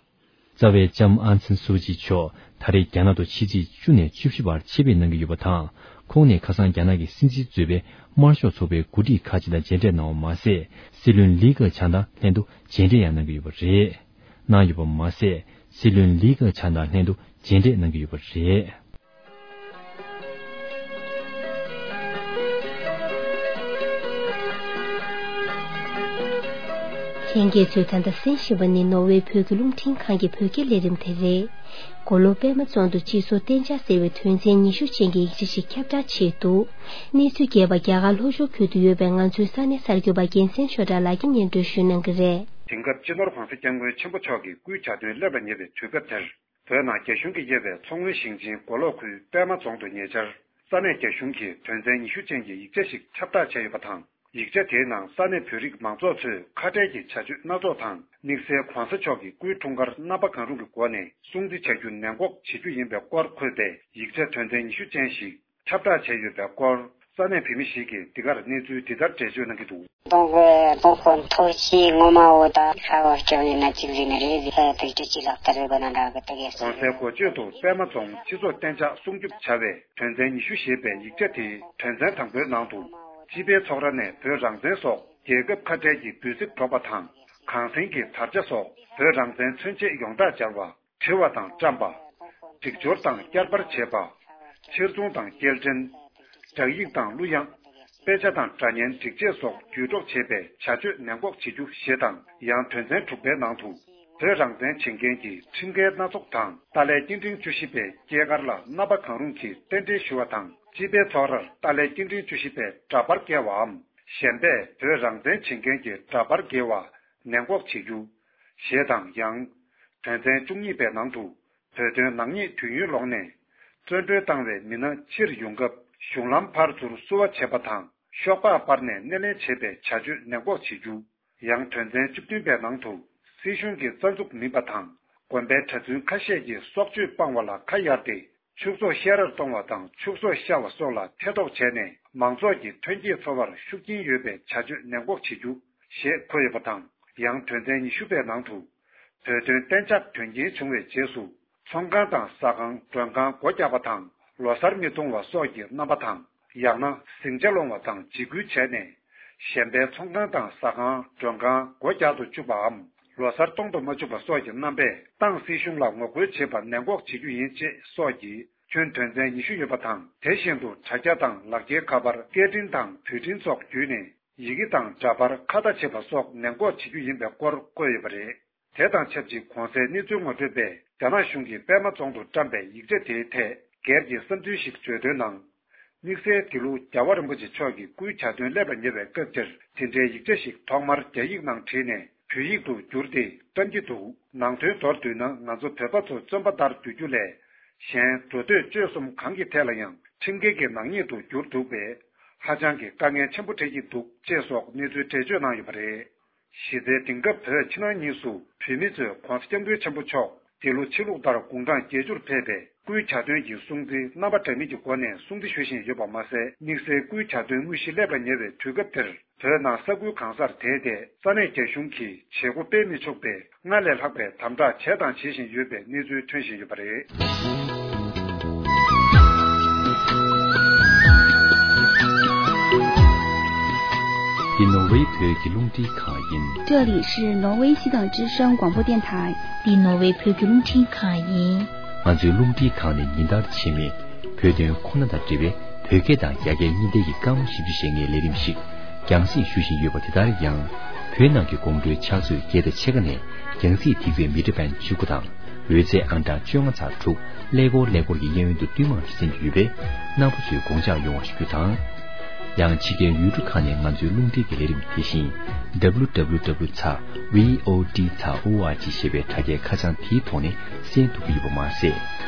རྩ་བའི་ལྕམ་ཨང་སན་སུའུ་ཅི་མཆོག་ད་རེས་རྒྱ་ནག་ཏུ་ཕྱི་ཚེས་བཅུ་ནས་བཅུ་བཞི་བར་ཆེད་ཕེབས་གནང་གི་ཡོད་པ་དང་ ཁོང་ནས་ཁ་སང་རྒྱ་ནག་གི་སྲིད་འཛིན་གཙོས་པའི་དམར་ཤོག་ཚོགས་པའི་འགོ་ཁྲིད་ཁག་ཅིག་དང་མཇལ་འཕྲད་གནང་བ་མ་ཟད། སྲིད་བློན་ལི་ཁེ་ཆང་དང་ལྷན་དུ་མཇལ་འཕྲད་ཡང་གནང་གི་ཡོད་པ་རེད། གནང་ཡོད་པ་མ་ཟད། སྲིད་བློན་ལི་ཁེ་ཆང་དང་ལྷན་དུ་མཇལ་འཕྲད་གནང་གི་ཡོད་པ་རེད། ལྷན་རྒྱས་ཚོས་ད་ལྟ་གསན་བཞིན་པ་ནི་ནོར་ཝེ་བོད་ཀྱི་རླུང་འཕྲིན་ཁང་གི་བོད་སྐད་ལས་རིམ་དེ་རེད། མགོ་ལོག་པད་མ་རྫོང་དུ་སྤྱི་ཚོགས་གཏན་འཇགས་ཟེར་བའི་དོན་ཚན་ཉི་ཤུ་ཅན་གྱི་ཡིག་ཆ་ཞིག་ཁྱབ་བསྒྲགས་བྱས་འདུག་གནས་ཚུལ་རྒྱས་པ་རྒྱ་གར་ལྷོ་ཕྱོགས་ཁུལ་དུ་ཡོད་པའི་ང་ཚོའི་ས་གནས་གསར་འགོད་པ་རྒྱལ་མཚན་ཆོས་གྲགས་ལགས་ཀྱིས་སྙན་སྒྲོན་ཞུ་གནང་གི་རེད། དེང་སྐབས་སྤྱི་ནོར་༸གོང་ས་༸སྐྱབས་མགོན་ཆེན་པོ་མཆོག་གི་སྐུའི་གྱ་སྟོན་སླེབས་ལ་ཉེ་བའི་དུས་སྐབས་དེར། བོད་ནང་རྒྱ་གཞུང་གིས་དབྱེ་བའི་མཚོ་སྔོན་ཞིང་ཆེན་མགོ་ལོག་ཁུལ་པད་མ་རྫོང་དུ་ཉེ་ཆར། ས་གནས་རྒྱ་གཞུང་གིས་དོན་ཚན་ཉི་ཤུ་ཅན་གྱི་ཡིག་ཆ་ཞིག་ཁྱབ་བསྒྲགས་བྱས་ཡོད་པ་དང་། ཡིག་ཆ་དེའི་ནང་ས་གནས་བོད་རིགས་མང་ཚོགས་ཚོས་ཁ་བྲལ་གྱི་བྱ་སྤྱོད་སྣ་ཚོགས་དང་། དམིགས་བསལ་༸གོང་ས་མཆོག་གི་སྐུའི་འཁྲུངས་སྐར་རྣམ་པ་གང་རུང་གི་སྒོ་ནས་སྲུང་བརྩི་བྱ་རྒྱུ་ནན་འགོག་བྱེད་རྒྱུ་ཡིན་པའི་སྐོར་འཁོད་པའི་ཡིག་ཆ་དོན་ཚན་ཉི་ཤུ་ཅན་ཞིག་ཁྱབ་བསྒྲགས་བྱས་ཡོད་པའི་སྐོར། ས་གནས་བོད་མི་ཞིག་གིས་འདི་གར་གནས་ཚུལ་འདི་ལྟར་འགྲེལ་བརྗོད་གནང་གི་འདུག། སྟོང་དཔེ་སྟོང་དཔོན་ཐོར་ཅི་ངོ་མ་འོ་ད་ཁ་བ་སྐྱོ་ཡིན་ན་གཅིག་རེད་ན་རེད་ཟེར་ཧ་ཐག་ཅི་ལག་བསྟར་རེད་པ་ན་འདྲ་གི་ཏག་ཡས་གོང་གསལ་འགོ་བརྗོད་དུ་པད་མ་རྫོང་སྤྱི་ཚོགས་གཏན་འཇགས་སྲུང་སྐྱོབ་བྱ་བའི་དོན་ཚན་ཉི་ཤུ་ཞེས་པའི་ཡིག་ཆ་དེའི་དོན་ཚན་དང་པོའི་ནང་དུ། སྤྱི་པའི་ཚོགས་ར་ནས་བོད་རང་བཙན་སོགས་རྒྱལ་ཁབ་ཁ་བྲལ་གྱི་འབོད་ཚིག་སྒྲོག་པ་དང་། གངས་སེང་གི་དར་ཆ་སོགས་བོད་རང་བཙན་མཚོན་བྱེད་ཡོངས་གྲགས་སྦྱར་བ། བྲི་བ་དང་བཀྲམ་པ། སྒྲིག་སྦྱོར་དང་བསྐྱར་པར་བྱེད་པ། ཕྱིར་ཚོང་དང་སྐྱེལ་འདྲེན། སྦྲག་ཡིག་དང་གླུ་དབྱངས། དཔེ་ཆ་དང་སྒྲ་སྙན་སྒྲིག་ཆས་སོགས་བརྒྱུད་སྒྲོག་བྱེད་པའི་བྱ་སྤྱོད་ནན་འགོག་བྱེད་རྒྱུ་ཞེས་དང་། ཡང་དོན་ཚན་དྲུག་པའི་ནང་དུ། བོད་རང་བཙན་བྱེད་མཁན་གྱི་ཁྲིམས་འགལ་སྣ་ཚོགས་དང་། ཏཱ་ལའི་སྐྱེ་ཕྲེང་བཅུ་བཞི་པའི་སྐྱེས་སྐར་ལ་རྣམ་པ་གང་རུང་གིས་རྟེན་འབྲེལ་ཞུ་བ་དང་། སྤྱི་པའི་ཚོགས་རར་ཏཱ་ལའི་སྐྱེ་ཕྲེང་བཅུ་བཞི་པའི་འདྲ་པར་བཀལ་བའམ། གཞན་པས་བོད་རང་བཙན་བྱེད་མཁན་གྱི་འདྲ་པར་འགེལ་བ་ནན་འགོག་བྱེད་རྒྱུ། ཞེས་དང་། ཡང་། དོན་ཚན་བཅུ་གཉིས་པའི་ནང་དུ། བོད་དོན་ནག་ཉེས་དུས་ཡུན་ལོངས་ནས། བཙོན་གྲོལ་བཏང་བའི་མི་སྣ་ཕྱིར་ཡོང་སྐབས་གཞུང་ལམ་ཕར་ཚུར་བསུ་བ་བྱེད་པ་དང་། ཤོག་སྦག་སྤར་ནས་སྣེ་ལེན་བྱེད་པའི་བྱ་སྤྱོད་ནན་འགོག་བྱེད་རྒྱུ། ཡང་དོན་ཚན་བཅུ་བདུན་པའི་ནང་དུ། སྲིད་གཞུང་གི་རྩ་འཛུགས་མིན་པ་དང་། དགོན་པའི་གྲྭ་བཙུན་ཁ་ཤས་ཀྱིས་སྲོག་གཅོད་སྤང་བ་ལ་ཁ་གཡར་ཏེ། ཕྱུགས་ཟོག་བཤས་རར་གཏོང་བ་དང་ཕྱུགས་ཟོག་བཤའ་བ་སོགས་ལ་ཐེ་གཏོགས་བྱས་ནས། མང་ཚོགས་ཀྱི་ཐོན་སྐྱེད་འཚོ་བར་ཤུགས་རྐྱེན་ཡོད་པའི་བྱ་སྤྱོད་ནན་འགོག་བྱེད་རྒྱུ་ཞེས་འཁོད་ཡོད་པ་དང་། ཡང་དོན་ཚན་ཉི་ཤུ་པའི་ནང་དུ། བོད་དོན་གཏན་འཇགས་དོན་རྐྱེན་བྱུང་བའི་རྗེས་སུ། ཚོང་ཁང་དང་ཟ་ཁང་མགྲོན་ཁང་སྒོ་རྒྱག་པ་དང་། ལོ་གསར་མི་གཏོང་བ་སོགས་ཀྱི་རྣམ་པ་དང་། ཡང་ན་ཟིང་ཆ་སློང་བ་དང་འཇིགས་སྐུལ་བྱས་ནས། གཞན་པའི་ཚོང་ཁང་དང་ཟ་ཁང་མགྲོན་ཁང་སྒོ་རྒྱག་ཏུ་བཅུག་པའམ། ལོ་གསར་གཏོང་དུ་མ་བཅུག་པ་སོགས་ཀྱི་རྣམ་པས་ཏང་སྲིད་གཞུང་ལ་ངོ་རྒོལ་བྱེད་པ་ནན་འགོག་བྱེད་རྒྱུ་ཡིན་ཅེས་སོགས་ཀྱི་ཁྱོན་དོན་ཚན་ཉི་ཤུ་ཡོད་པ་དང་། དེ་བཞིན་དུ་དྲ་རྒྱ་དང་ལག་འཁྱེར་ཁ་པར་སྐད་འཕྲིན་དང་བརྒྱུད་འཕྲིན་སོགས་བརྒྱུད་ནས་ཡི་གེ་དང་འདྲ་པར་ཁ་བརྡ་བྱེད་པ་སོགས་ནན་འགོག་བྱེད་རྒྱུ་ཡིན་པའི་སྐོར་བཀོད་ཡོད་པ་རེད། དེ་དང་ཆབས་ཅིག་གོང་གསལ་གནས་ཚུལ་ངོ་སྤྲོད་པས་རྒྱ་ནག་གཞུང་གིས་པད་མ་རྫོང་དུ་བཀྲམ་པའི་ཡིག་ཆ་དེའི་ཐད་སྒེར་གྱི་བསམ་ཚུལ་ཞིག་བརྗོད་དོན་ནང་། དམིགས་བསལ་འདི་ལོ་རྒྱལ་བ་རིན་པོ་ཆེ་མཆོག་གི་སྐུའི་གྱ་སྟོན་སླེབས་ལ་ཉེ་བའི་སྐབས་འདིར་དེ་འབྲེལ་ཡིག་ཆ་ཞིག་ཐོག་མར་རྒྱ་ཡིག་ནང་བྲིས་ནས་བོད་ཡིག་ཏུ་བསྒྱུར་ཏེ་བཀྲམ་གྱི་འདུག། ནང་དོན་མདོར་བསྡུས་ན། ང་ཚོ་བོད་པ་ཚོ་བཙོན་པ་ལྟར་སྡོད་རྒྱུ་ལས། གཞན་འགྲོ་སྡོད་སྤྱོད་གསུམ་གང་གི་ཐད་ལ་ཡང་ཁྲིམས་འགལ་གྱི་ནག་ཉེས་སུ་གྱུར་འདུག་པས། ཧ་ཅང་གི་དཀའ་ངལ་ཆེན་པོ་འཕྲད་ཀྱི་འདུག་ཅེས་སོགས་གནས་ཚུལ་འགྲེལ་བརྗོད་གནང་ཡོད་པ་རེད། གཞི་རྩའི་དེང་སྐབས་བོད་ཕྱི་ནང་གཉིས་སུ་བོད་མི་ཚོས་༸གོང་ས་༸སྐྱབས་མགོན་ཆེན་པོ་མཆོག་འདི་ལོ་ཕྱི་ལུགས་ལྟར་དགུང་གྲངས་བརྒྱད་ཅུར་ཕེབས་པའི་སྐུའི་གྱ་སྟོན་གྱི་སྲུང་བརྩི་རྣམ་པ་འདྲ་མིན་གྱི་སྒོ་ནས་སྲུང་བརྩི་ཞུ་བཞིན་ཡོད་པ་མ་ཟད། དམིགས་བསལ་སྐུའི་གྱ་སྟོན་དངོས་གཞི་སླེབས་ལ་ཉེ་བའི་དུས་སྐབས་དེར། བོད་ནང་ས་ཁུལ་གང་སར་དེད་དེ་ས་གནས་རྒྱ་གཞུང་གིས་བྱེད་སྒོ་སྤེལ་མི་ཆོག་པའི་སྔར་ལས་ལྷག་པའི་དམ་དྲག་བྱས་དང་བྱེད་བཞིན་ཡོད་པའི་གནས་ཚུལ་ཐོན་བཞིན་ཡོད་པ་རེད། འདི་ནོར་ཝེ་བོད་ཀྱི་རླུང་འཕྲིན་ཁང་ཡིན། 这里是挪威西藏之声广播电台。 འདི་ནོར་ཝེ་བོད་ཀྱི་རླུང་འཕྲིན་ཁང་ཡིན། ང་ཚོའི་རླུང་འཕྲིན་ཁང་ནི་ཉིན་ལྟར་ཆེད་མེད་བོད་དོན་ཁོ་ན་དང་འབྲེལ་བའི་བོད་སྐད་དང་རྒྱ་སྐད་གཉིས་ལྡན་གྱི་སྐར་མ་བཞི་བཅུ་ཞེ་ལྔའི་ལས་རིམ་ཞིག་རྒྱང་སྲིང་ཞུ་བཞིན་ཡོད་པ་དེ་ལྟར་ཡང་། བོད་ནང་གི་དགོང་དྲོའི་ཕྱག་ཚོད་བརྒྱད་དང་ཕྱེད་ཀ་ནས་རྒྱང་སྲིང་ཐིག་ཚད་མི་ཊར་བེན་བཅུ་དགུ་དང་། འོད་ཚད་ཨང་གྲངས་བཅོ་ལྔ་ཚེག་དྲུག་ཀླད་ཀོར་ཀླད་ཀོར་གྱི་གཡས་གཡོན་དུ་བསྟུད་མར་གསན་རྒྱུ་ཡོད་པས། རྣམ་པ་ཚོས་དགོངས་འཇགས་ཡོང་བ་ཞུ་རྒྱུ་དང་། ཡང་ཕྱི་རྒྱལ་ཡུལ་གྲུ་ཁག་ནས་ང་ཚོའི་རླུང་འཕྲིན་གྱི་ལས་རིམ་དེ་བཞིན་W W W ཚེག་V O D ཚེག O R G ཞེས་པའི་དྲ་རྒྱའི་ཁ་བྱང་དེའི་ཐོག་ནས་གསན་ཐུབ་ཀྱི་ཡོད་པ་མ་ཟད།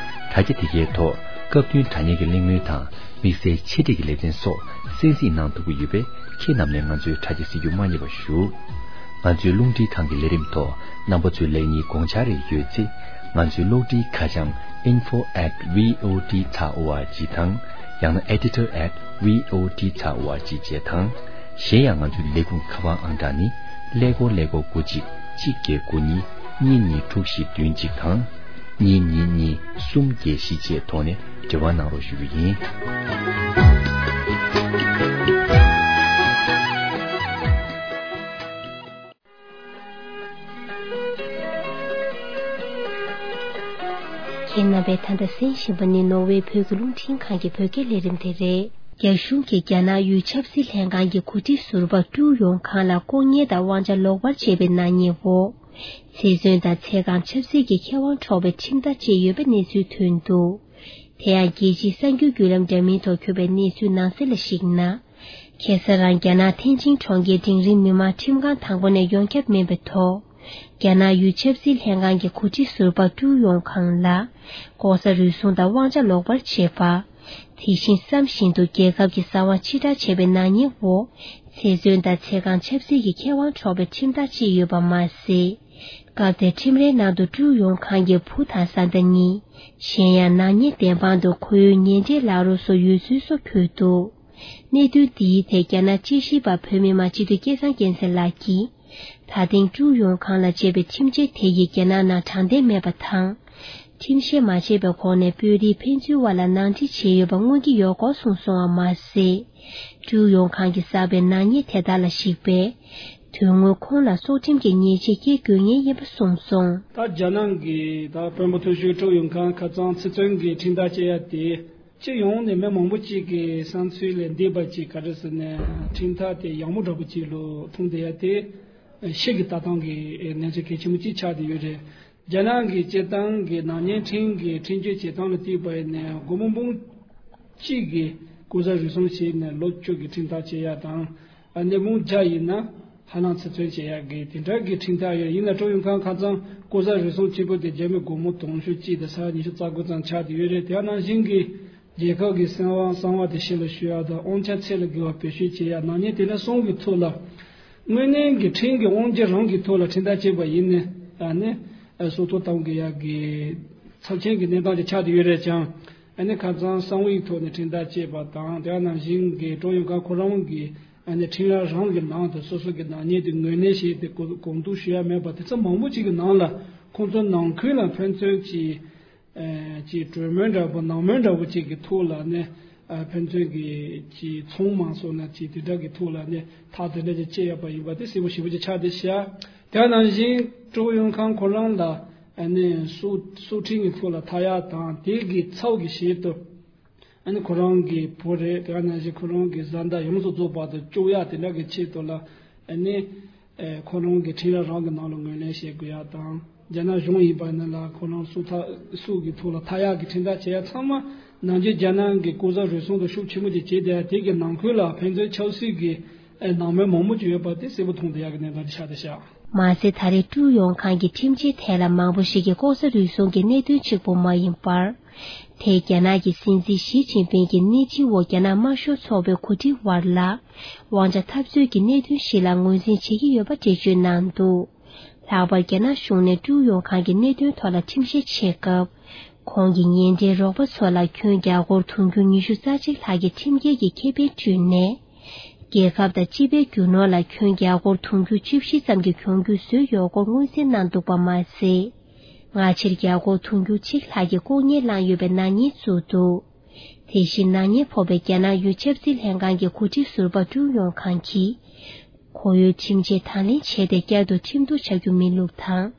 དྲ་རྒྱ་དེ་གའི་ཐོག་སྐབས་བསྟུན་དྲ་བརྙན་གྱི་གླེང་མོལ་དང་། དམིགས་བསལ་ཆེད་སྒྲིག་གི་ལེ་ཚན་སོགས་གསན་གཟིགས་གནང་ཐུབ་ཀྱི་ཡོད་པས། ཁྱེད་རྣམས་ནས་ང་ཚོའི་དྲ་རྒྱ་གཟིགས་རྒྱུ་མ་བསྙེལ་བ་ཞུ། ང་ཚོའི་རླུང་འཕྲིན་ཁང་གི་ལས་རིམ་ཐོག་རྣམ་པ་ཚོའི་ལེགས་ཉེས་དགོངས་འཆར་རེ་ཡོད་ཚེ། ང་ཚོའི་གློག་འཕྲིན་ཁ་བྱང་info at V O D dot O R G དང་། ཡང་ན་editor at V O D dot O R G བཅས་དང་། གཞན་ཡང་ང་ཚོའི་ལས་ཁུངས་ཁ་པར་ཨང་གྲངས་ནི། ཀླད་ཀོར་ཀླད་ཀོར་དགུ་གཅིག་གཅིག་བརྒྱད་དགུ་གཉིས་གཉིས་གཉིས་དྲུག་བཞི་བདུན་གཅིག་དང་། གཉིས་གཉིས་གཉིས་གསུམ་བརྒྱད་བཞི་བཅས་ཐོག་ནས་འབྲེལ་བ་གནང་རོགས་ཞུ་རྒྱུ་ཡིན། ཁྱེད་རྣམ་པས་ད་ལྟ་གསན་བཞིན་པ་ནི་ནོར་ཝེ་བོད་ཀྱི་རླུང་འཕྲིན་ཁང་གི་བོད་སྐད་ལས་རིམ་དེ་རེད། རྒྱ་གཞུང་གིས་རྒྱ་ནག་ཡུལ་ཆབ་སྲིད་ལྷན་ཁང་གི་གོ་སྒྲིག་ཟུར་པ་ཀྲུའུ་ཡོང་ཁང་ལ་ལྐོག་ཉན་དང་དབང་ཆ་ལོག་པར་སྤྱད་པའི་ནག་ཉེས་འོག་ཚེ་བཙོན་དང་ཚེ་གང་ཆབ་སྲིད་ཀྱི་ཁེ་དབང་འཕྲོག་པའི་ཁྲིམས་ཐག་བཅད་ཡོད་པའི་གནས་ཚུལ་ཐོན་འདུག་དེ་ཡང་རྒྱལ་སྤྱིའི་གསར་འགྱུར་བརྒྱུད་ལམ་འདྲ་མིན་ཐོག་འཁྱོངས་པའི་གནས་ཚུལ་ནང་གསལ་ལ་གཞིགས་ན། ཁ་སང་རང་རྒྱ་ནག་ཐེན་ཅིན་གྲོང་ཁྱེར་འབྲིང་རིམ་མི་མང་ཁྲིམས་ཁང་དང་པོ་ནས་ཡོངས་ཁྱབ་སྨན་པའི་ཐོག་རྒྱ་ནག་ཡུལ་ཆབ་སྲིད་ལྷན་ཁང་གི་གོ་སྒྲིག་ཟུར་པ་ཀྲུའུ་ཡོང་ཁང་ལ་ལྐོག་ཟ་རུལ་སུངས་དང་དབང་ཆ་ལོག་པར་སྤྱད་པ། དེ་བཞིན་བསམ་བཞིན་དུ་རྒྱལ་ཁབ་ཀྱི་གསང་བ་ཕྱིར་བསྒྲགས་བྱས་པའི་ནག་ཉེས་འོག་ཚེ་བཙོན་དང་ཚེ་གང་ཆབ་སྲིད་ཀྱི་ཁེ་དབང་འཕྲོག་པའི་ཁྲིམས་ཐག་བཅད་ཡོད་པ་མ་ཟད། སྐབས་དེར་ཁྲིམས་རའི་ནང་དུ་ཀྲུའུ་ཡོང་ཁང་གི་བུ་དང་བཟའ་ཟླ་གཉིས། གཞན་ཡང་ནག་ཉེས་བདེན་དཔང་དུ་ཁོར་ཡུག་ཉེ་འབྲེལ་ལག་རོགས་སོགས་ཡོད་ཚུལ་སོགས་འཁོད་འདུག་གནད་དོན་འདིའི་ཐད་རྒྱ་ནག་དཔྱད་ཞིབ་པ་བོད་མི་མང་སྤྱི་འཐུས་སྐལ་བཟང་སྐྱིད་སེང་ལགས་ཀྱིས། ད་ཐེངས་ཀྲུའུ་ཡོང་ཁང་ལ་བཅད་པའི་ཁྲིམས་ཆད་དེ་ཡིས་རྒྱ་ནག་ནང་དྲང་བདེན་མེད་པ་དང་། ཁྲིམས་བཤེར་མ་བྱས་པའི་གོང་ནས་དཔོན་རིགས་ཕན་ཚུན་དབར་ལ་ནང་འཁྲིག་བྱས་ཡོད་པ་མངོན་གྱི་ཡོད་སྐོར་གསུངས་སོང་བ་མ་ཟད། ཀྲུའུ་ཡོང་ཁང་གིས་བསགས་པའི་ནག་ཉེས་དེ་དག་ལ་གཞིགས་པས། དོན་དངོས་ཁོང་ལ་སྲོག་ཁྲིམས་ཀྱི་ཉེས་ཆད་བཀལ་དགོས་ངེས་ཡིན་པ་གསུངས་སོང་། ད་རྒྱ་ནག་གི་ད་དཔོན་པོ་མཐོ་ཤོས་ཀྲུའུ་ཡོང་ཁང་ཁ་སང་ཚེ་བཙོན་གྱི་ཁྲིམས་ཐག་བཅད་ཡ་དེ། སྤྱི་ཡོངས་ནས་མི་མང་པོ་གཅིག་གི་བསམ་ཚུལ་ལས་འདས་པ་ཅིག་ག་རེ་ཟེར་ནས་ཁྲིམས་ཐག་དེ་ཡག་མོ་འདྲ་པོ་ཅིག་ལོ་མཐོང་བསྡད་ཡ་དེ་ཕྱི་གི་ལྟ་སྟངས་ཀྱི་གནས་ཚུལ་གལ་ཆེན་པོ་གཅིག་ཆགས་བསྡད་ཡོད་རེད། རྒྱ་ནག་གི་སྤྱིར་བཏང་གི་ནག་ཉེས་ཁྲིམས་ཀྱི་ཁྲིམས་གཅོད་བྱེད་སྟངས་ལ་བལྟས་པ་ཡིན་ན་སྒོར་མོ་འབུམ་གཅིག་གི་ལྐོག་ཟ་རུལ་སུངས་བྱས་ནས་ལོ་བཅུ་གི་ཁྲིམས་ཐག་བཅད་ཡ་དང་། ཨ་ནི་འབུམ་བརྒྱ་ཡིན་ན་ཧ་ལམ་ཚེ་བཙོན་བྱེད་ཡ་གི་དེ་འདྲ་གི་ཁྲིམས་ཐག་ཡོད། ཡིན་ན་ཀྲུའུ་ཡོང་ཁང་ཁ་སང་ལྐོག་ཟ་རུལ་སུངས་གཅིག་པོ་དེ་རྒྱ་མི་སྒོར་མོ་དུང་ཕྱུར་གཅིག་དང་ས་ཡ་ཉི་ཤུ་རྩ་དགུ་ཙམ་ཆགས་བསྡད་ཡོད་རེད། དེ་ནང་བཞིན་གྱི་རྒྱལ་ཁབ་ཀྱི་གསང་བ་གསང་བ་དེ་ཕྱི་ལ་ཞུ་ཡ་དང་དབང་ཆ་ཚད་ལས་བརྒལ་བ་བེད་སྤྱོད་བྱེད་ཡ་ནག་ཉེས་དེ་འདྲ་གསུམ་གྱི་ཐོག་ལ། དངོས་གནས་ཀྱི་ཁྲིམས་ཀྱི་དབང་ཆ་རང་གི་ཐོག་ལ་ཁྲིམས་ཐག་བཅད་པ་ཡིན་ནའང་ནི། སྲོག་ཐོག་གཏོང་དགོས་ཡག་གི་ཚབས་ཆེན་གྱི་གནས་སྟངས་ཅིག་ཆགས་བསྡད་ཡོད་རེད་ཀྱང་། ཨ་ནི་ཁ་སང་གསང་བའི་ཐོག་ནས་ཁྲིམས་ཐག་བཅད་པ་དང་དེ་ནང་བཞིན་གྱི་ཀྲུའུ་ཡོང་ཁང་ཁོ་རང་གི་ཨ་ནི་ཁྲིམས་ར་རང་གི་ནང་དུ་སོ་སོ་གི་ནག་ཉེས་དེ་ངོས་ལེན་བྱས་ཏེ་གོ་གོང་བསྡུར་ཞུ་ཡ་མེད་པ་དེ་ཚོ་མང་པོ་ཅིག་གི་ནང་ལ་ཁོང་ཚོ་ནང་ཁུལ་ལ་ཕན་ཚུན་གྱི། ཨ་ཅིག་གྲོས་མོལ་འདྲ་པོ་ནང་མོལ་འདྲ་པོ་ཅིག་གི་ཐོག་ལ་ནི་ཨ་ཕན་ཚུན་གྱི་ཅིག་ཚོང་མང་སོགས་ན་ཅིག་དེ་འདྲ་གི་ཐོག་ལ་ནི་ཐག་དེ་འདྲ་ཅིག་བཅད་ཡོད་པ་ཡིན་པ་དེ་གསལ་པོ་ཞེ་པོ་ཅིག་ཆགས་བསྡད་ཤག་དེ་ནང་བཞིན་ཀྲུའུ་ཡོང་ཁང་ཁོ་རང་ལ་ཨ་ནི་སྲོག་སྲོག་ཁྲིམས་ཀྱི་ཐོག་ལ་ཐག་ཡག་དང་དེ་གི་ཚབ་ཀྱི་ཞིག་ཏུ། ཨ་ནི་ཁོ་རང་གི་བུ་རེད། དེ་ག་ནང་བཞིན་ཁོ་རང་གི་བཟའ་ཟླ་ཡོངས་སུ་རྫོགས་པ་དང་བཅུག་ཡག་དེ་འདྲ་གི་ཆེད་དུ་ལ་ཨ་ནི་ཨེ་ཁོ་རང་གི་ཁྲིམས་ར་རང་གི་ནང་ལ་ངོས་ལེན་བྱེད་དགོས་ཡག་དང་། རྒྱ་ནག་གཞུང་ཡིན་པ་ནི་ལ་ཁོ་རང་སྲོག་ཐག་སྲོག་གི་ཐོག་ལ་ཐག་ཡག་གི་ཁྲིམས་ཐག་བཅད་ཡག་ཚང་མ་ནང་ཆེན་རྒྱ་ནག་གི་ལྐོག་ཟ་རུལ་སུངས་དང་ཤུགས་ཆེན་པོ་དེ་བྱས་བསྡད་ཡག་དེ་གི་ནང་ཁུལ་ལ་ཕན་ཚུན་ཆབ་སྲིད་ཀྱི་ཨེ་ནང་མོལ་མང་པོ་ཅིག་ཡོད་པ་དེ་གསལ་པོ་མཐོང་བསྡད་ཡག་གི་གནས་སྟངས་དེ་ཆགས་བསྡད་ཤག་མ་ཟད་ད་རེས་ཀྲུའུ་ཡོང་ཁང་གི་ཁྲིམས་ཆད་ཐད་ལ་མང་པོ་ཞིག་གིས་ལྐོག་ཟ་རུལ་སུངས་ཀྱི་གནད་དོན་གཅིག་པུ་མ་ཡིན་པར། དེས་རྒྱ་ནག་གི་སྲིད་འཛིན་ཞི་ཅིན་ཕིང་གི་སྣེ་ཁྲིད་འོག་རྒྱ་ནག་དམར་ཤོག་ཚོགས་པའི་གོ་སྒྲིག་དབར་ལ། དབང་ཆ་འཐབ་རྩོད་ཀྱི་གནད་དོན་ཞིག་ལ་ངོས་འཛིན་བྱེད་ཀྱི་ཡོད་པ་འགྲེལ་བརྗོད་གནང་འདུག་ལྷག་པར་རྒྱ་ནག་གཞུང་ནས་ཀྲུའུ་ཡོང་ཁང་གི་གནད་དོན་ཐོག་ལ་ཁྲིམས་བཤེར་བྱེད་སྐབས། ཁོང་གི་ཉེ་འབྲེལ་རོགས་པ་ཚོ་ལ་ཁྱོན་རྒྱ་སྒོར་དུང་ཕྱུར་ཉི་ཤུ་རྩ་གཅིག་ལྷག་གི་ཁྲིམས་འགལ་གྱི་ཁེ་ཕན་སྤྲོད་ནས། རྒྱལ་ཁབ་དང་སྤྱི་པའི་རྒྱུ་ནོར་ལ་ཁྱོན་རྒྱ་སྒོར་དུང་ཕྱུར་བཅུ་བཞི་ཙམ་གྱི་གྱོང་གུད་བཟོས་ཡོད་སྐོར་མངོན་གསལ་གནང་འདུག་པ་མ་ཟད། སྔ་ཕྱིར་རྒྱ་སྒོར་དུང་ཕྱུར་གཅིག་ལྷག་གི་ལྐོག་ཉན་བླངས་ཡོད་པའི་ནག་ཉེས་བཙུགས་འདུག་དེ་བཞིན་ནག་ཉེས་ཕོག་པའི་རྒྱ་ནག་ཡུལ་ཆབ་སྲིད་ལྷན་ཁང་གི་གོ་སྒྲིག་ཟུར་པ་ཀྲུའུ་ཡོང་ཁང་གིས། ཁོར་ཡུག་ཁྲིམས་ཆད་དང་ལེན་བྱས་ཏེ་བསྐྱར་དུ་ཁྲིམས་གཏུག་བྱ་རྒྱུ་མིན་ལུགས་དང་།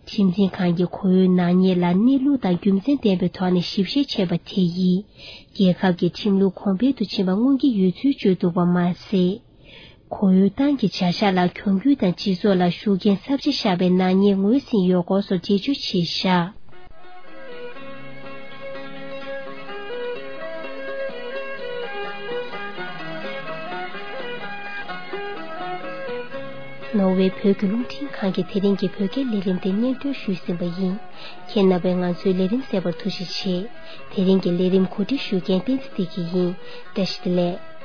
ཁྲིམས་འཛིན་ཁང་གིས་ཁོར་ཡུག་ནག་ཉེས་ལ་གནས་ལུགས་དང་རྒྱུ་མཚན་ལྡན་པའི་ཐོག་ནས་ཞིབ་བཤེར་བྱས་པ་དེ་ཡིས། རྒྱལ་ཁབ་ཀྱི་ཁྲིམས་ལུགས་གོང་འཕེལ་དུ་ཕྱིན་པ་མངོན་གྱི་ཡོད་ཚུལ་བརྗོད་འདུག་པ་མ་ཟད། ཁོར་ཡུག་ཏང་གི་བྱ་གཞག་ལ་གྱོང་གུད་དང་སྤྱི་ཚོགས་ལ་ཤུགས་རྐྱེན་ཚབས་ཆེ་བཞག་པའི་ནག་ཉེས་ངོས་ཟིན་ཡོད་སྐོར་སོགས་འགྲེལ་བརྗོད་བྱས་བཞག་ནོར་ཝེ་བོད་ཀྱི་རླུང་འཕྲིན་ཁང་གི་དེ་རིང་གི་བོད་སྐད་ལས་རིམ་དེ་སྙན་སྒྲོན་ཞུས་ཟིན་པ་ཡིན། ཁྱེད་རྣམ་པས་ང་ཚོའི་ལས་རིམ་གསན་པར་ཐུགས་རྗེ་ཆེ། དེ་རིང་གི་ལས་རིམ་གོ་སྒྲིག་ཞུ་མཁན་བསྟན་འཛིན་བདེ་སྐྱིད་ཡིན། བཀྲ་ཤིས་བདེ་ལེགས།